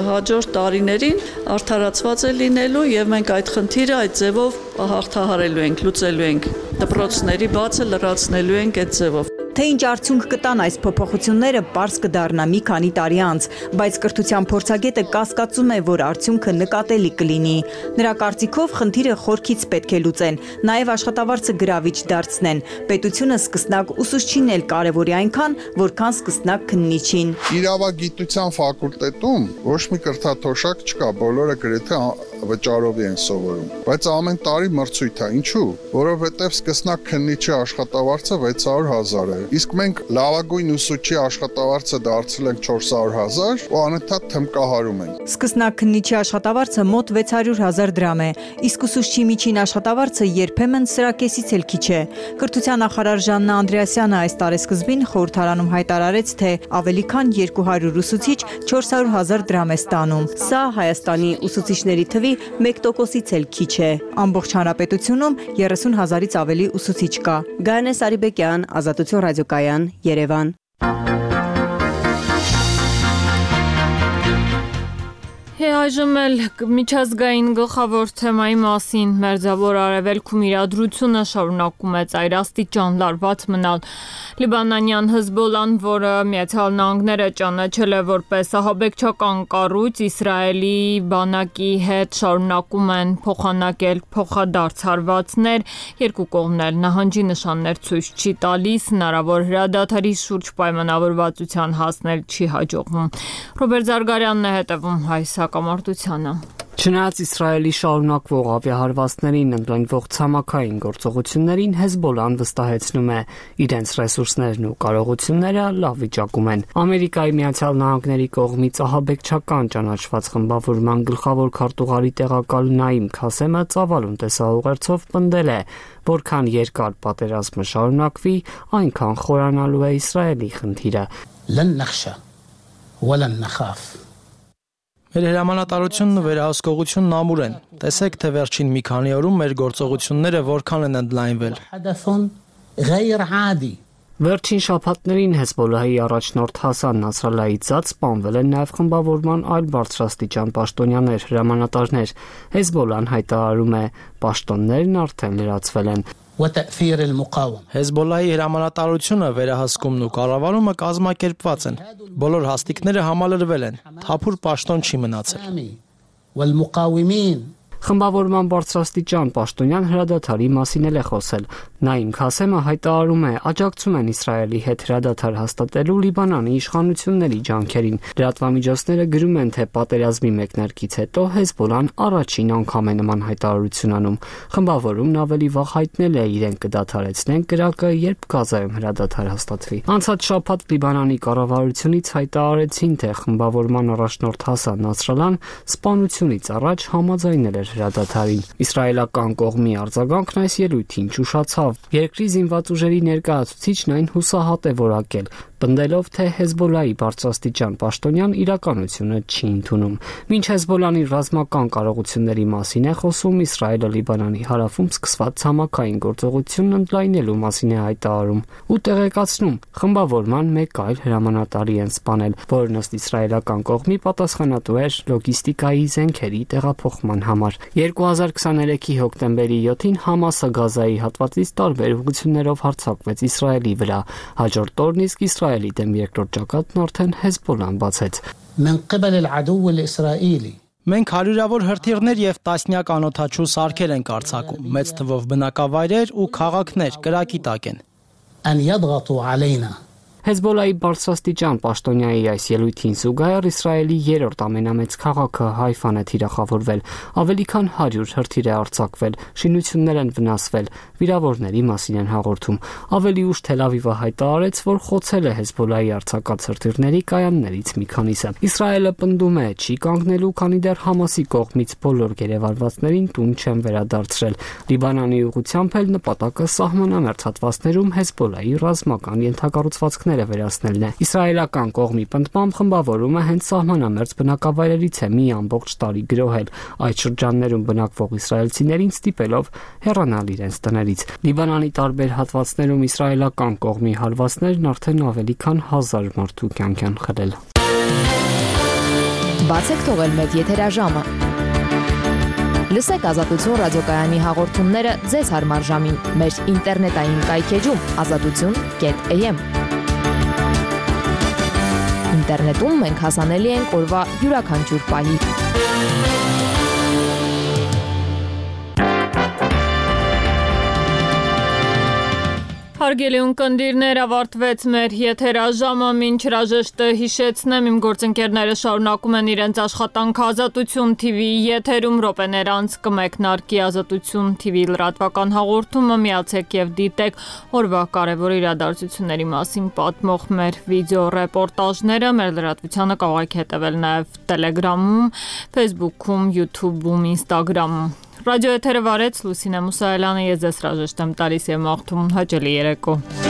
հաջորդ տարիներին արդարացված է լինելու եւ մենք այդ խնդիրը այդ ձևով հաղթահարելու ենք, լուծելու ենք։ Դպրոցների բացը լրացնելու ենք այդ ձևով։ Թե ինչ արդյունք կտան այս փոփոխությունները, պարզ կդառնա մի քանի տարի անց, բայց կրթության փորձագետը կասկածում է, որ արդյունքը նկատելի կլինի։ Նրա կարծիքով խնդիրը խորքից պետք է լուծեն, նաև աշխատավարձը գրավիչ դարձնեն։ Պետությունը սկսնակ ուսուցչին էլ կարևորի այնքան, որքան սկսնակ քննիչին։ Իրավագիտության ֆակուլտետում ոչ մի կրթաթոշակ չկա, բոլորը գրեթե վճարովի են սովորում, բայց ամեն տարի մրցույթ է, ինչու՞, որովհետև սկսնակ քննիչի աշխատավարձը 600,000 է, իսկ մենք լավագույն ուսուցչի աշխատավարձը դարձրել ենք 400,000 ու անընդհատ թմկահարում ենք։ Սկսնակ քննիչի աշխատավարձը մոտ 600,000 դրամ է, իսկ ուսուցչի միջին աշխատավարձը երբեմն սրա կեսից էլ քիչ է։ Կրթության նախարար Ժաննա Անդրեասյանը այս տարեսկզբին խորհրդարանում հայտարարեց, թե ավելի քան 200 ուսուցիչ 400,000 դրամ է ստանում։ Սա Հայաստանի ուսուցիչների թվի 1%-ից էլ քիչ է։ Ամբողջ հանրապետությունում 30,000-ից ավելի ուսուցիչ կա։ Գայանե Սարիբեկյան, Ազատություն ռադիոկայան, Երևան։ Այժմ էլ միջազգային գլխավոր թեմայի մասին Մերձավոր Արևելքում իրադրությունը շարունակում է ծայրաստիճան լարված մնալ։ Լիբանանյան Հեզբոլլան, որը Միացյալ Նահանգները ճանաչել է որպես ահաբեկչական կառույց, Իսրայելի բանակի հետ շարունակում են փոխանակել փոխադարձ հարվածներ, երկու կողմն էլ նահանջի նշաններ ցույց չի տալիս, հնարավոր հրադադարի շուրջ պայմանավորվածության հասնել չի հաջողվում։ Ռոբերտ Զարգարյանն է հետևում այս հակամարտությանը։ Չնայած Իսրայելի շարունակվող ավիահարվածներին ընդլայնվող ցամաքային գործողություններին, Հեզբոլլան վստահեցնում է, իրենց ռեսուրսներն ու կարողությունները լավ վիճակում են։ Ամերիկայի Միացյալ Նահանգների կողմից ահաբեկչական ճանաչված խմբավորման գլխավոր քարտուղարի տեղակալ Նաիմ Քասեմը ծավալուն տեսահուղերձով պնդել է, որքան երկար պատերազմը շարունակվի, այնքան խորանալու է Իսրայելի խնդիրը։ Լեն նախշա, վալեն նախաֆ։ Մեր հրամանատարությունն ու վերահսկողությունն ամուր են։ Տեսեք, թե վերջին մի քանի օրում մեր գործողությունները որքան են ընդլայնվել։ Վերջին շաբաթներին Հեզբոլլահի առաջնորդ Հասան Նասրալլահից սպանվել են նաև խմբավորման այլ բարձրաստիճան պաշտոնյաներ, հրամանատարներ։ Հեզբոլլան հայտարարում է, պաշտոններն արդեն լրացվել են։ Հեզբոլլահի հրամանատարությունը, վերահսկումն ու կառավարումը կազմակերպված են։ Բոլոր հաստիկները համալրվել են։ Թափուր պաշտոն չի մնացել։ Խմբավորման բարձրաստիճան պաշտոնյան հրադադարի մասին էլ է խոսել։ Նաիմ Քասեմը հայտարարում է, աջակցում են Իսրայելի հետ հրադադար հաստատելու Լիբանանի իշխանությունների ջանքերին։ Լրատվամիջոցները գրում են, թե պատերազմի մեկնարկից հետո Հեզբոլլան առաջին անգամ է նման հայտարարություն անում։ Խմբավորումն ավելի վաղ հայտնել է, իրենք կդադարեցնեն կրակը, երբ Գազայում հրադադար հաստատվի։ Անցած շաբաթ Լիբանանի կառավարությունից հայտարարեցին, թե խմբավորման առաջնորդ Հասան Նասրալլահն սպանությունից առաջ համաձայնել էր հրադադարին։ Իսրայելական կողմի արձագանքն այս ելույթին ճուշացավ։ Երկրի զինված ուժերի ներկայացուցիչն այն հուսահատ է որակել, պնդելով, թե Հեզբոլլահի բարձրաստիճան պաշտոնյան իրականությունը չի ընդունում։ Մինչ Հեզբոլլանի ռազմական կարողությունների մասին է խոսում, Իսրայելը Լիբանանի հարավում սկսված ցամաքային գործողությունն ընդլայնելու մասին է հայտարարում ու տեղեկացնում, խմբավորման մեկ այլ հրամանատարի են սպանել, որն ըստ իսրայելական կողմի պատասխանատու էր լոգիստիկայի զենքերի տեղափոխման համար։ 2023-ի հոկտեմբերի 7-ին Համասը Գազայի հատվածից տարբեր ուղղություններով հարձակվեց Իսրայելի վրա։ Հաջորդ օրն իսկ Իսրայելի դեմ երկրորդ ճակատն արդեն Հեզբոլլան բացեց։ Մենք հարյուրավոր հրթիռներ եւ տասնյակ անօդաչու սարքեր ենք արձակում, մեծ թվով բնակավայրեր ու քաղաքներ կրակի տակ են։ Հեզբոլայի բարձրաստիճան պաշտոնյայի այս ելույթին զուգահեռ Իսրայելի երրորդ ամենամեծ քաղաքը Հայֆան է թիրախավորվել, ավելի քան 100 հրթիռ է արձակվել, շինություններ են վնասվել, վիրավորների մասին են հաղորդում։ Ավելի ուշ Թել Ավիվը հայտարարեց, որ խոցել է Հեզբոլայի արձակած հրթիռների կայաններից մի քանիսը։ Իսրայելը պնդում է, չի կանգնելու, քանի դեռ Համասի կողմից բոլոր գերեվարվածներին տուն չեն վերադարձրել։ Լիբանանի ուղղությամբ էլ նպատակը սահմանամերձ հատվածներում Հեզբոլայի ռազմական ենթակառուցվածքները վերացնելն է։ Իսրայելական կողմի պնդմամբ խմբավորումը հենց սահմանամերձ բնակավայրերից է մի ամբողջ տարի գրոհել, այդ շրջաններում բնակվող իսրայելցիներին ստիպելով հեռանալ իրենց տներից։ Լիբանանի տարբեր հատվածներում իսրայելական կողմի հարվածներն արդեն ավելի քան 1000 մարդու կյանք են խլել։ Բացեք թողել մեր եթերաժամը։ Լսեք Ազատություն ռադիոկայանի հաղորդումները ձեզ հարմար ժամին մեր ինտերնետային կայքեջում azatutun.am։ Ինտերնետում մենք հասանելի ենք օրվա յուրաքանչյուր պահի։ Հարգելի ունկնդիրներ, ավարտվեց մեր եթերաժամը, մինչ հրաժեշտը հիշեցնեմ, իմ գործընկերները շարունակում են իրենց աշխատանքը Ազատություն TV-ի եթերում, րոպեներ անց կմեկնարկի Ազատություն TV լրատվական հաղորդումը, միացեք եւ դիտեք օրվա կարևոր իրադարձությունների մասին պատմող մեր վիդեո ռեպորտաժները, մեր լրատվությանը կարող եք հետևել նաեւ Telegram-ում, Facebook-ում, YouTube-ում, Instagram-ում։ Ռադիո եթերը վարեց Լուսինե Մուսայելյանը, ես ձեզ հրաժեշտ եմ տալիս եւ մաղթում հաճելի երեկո։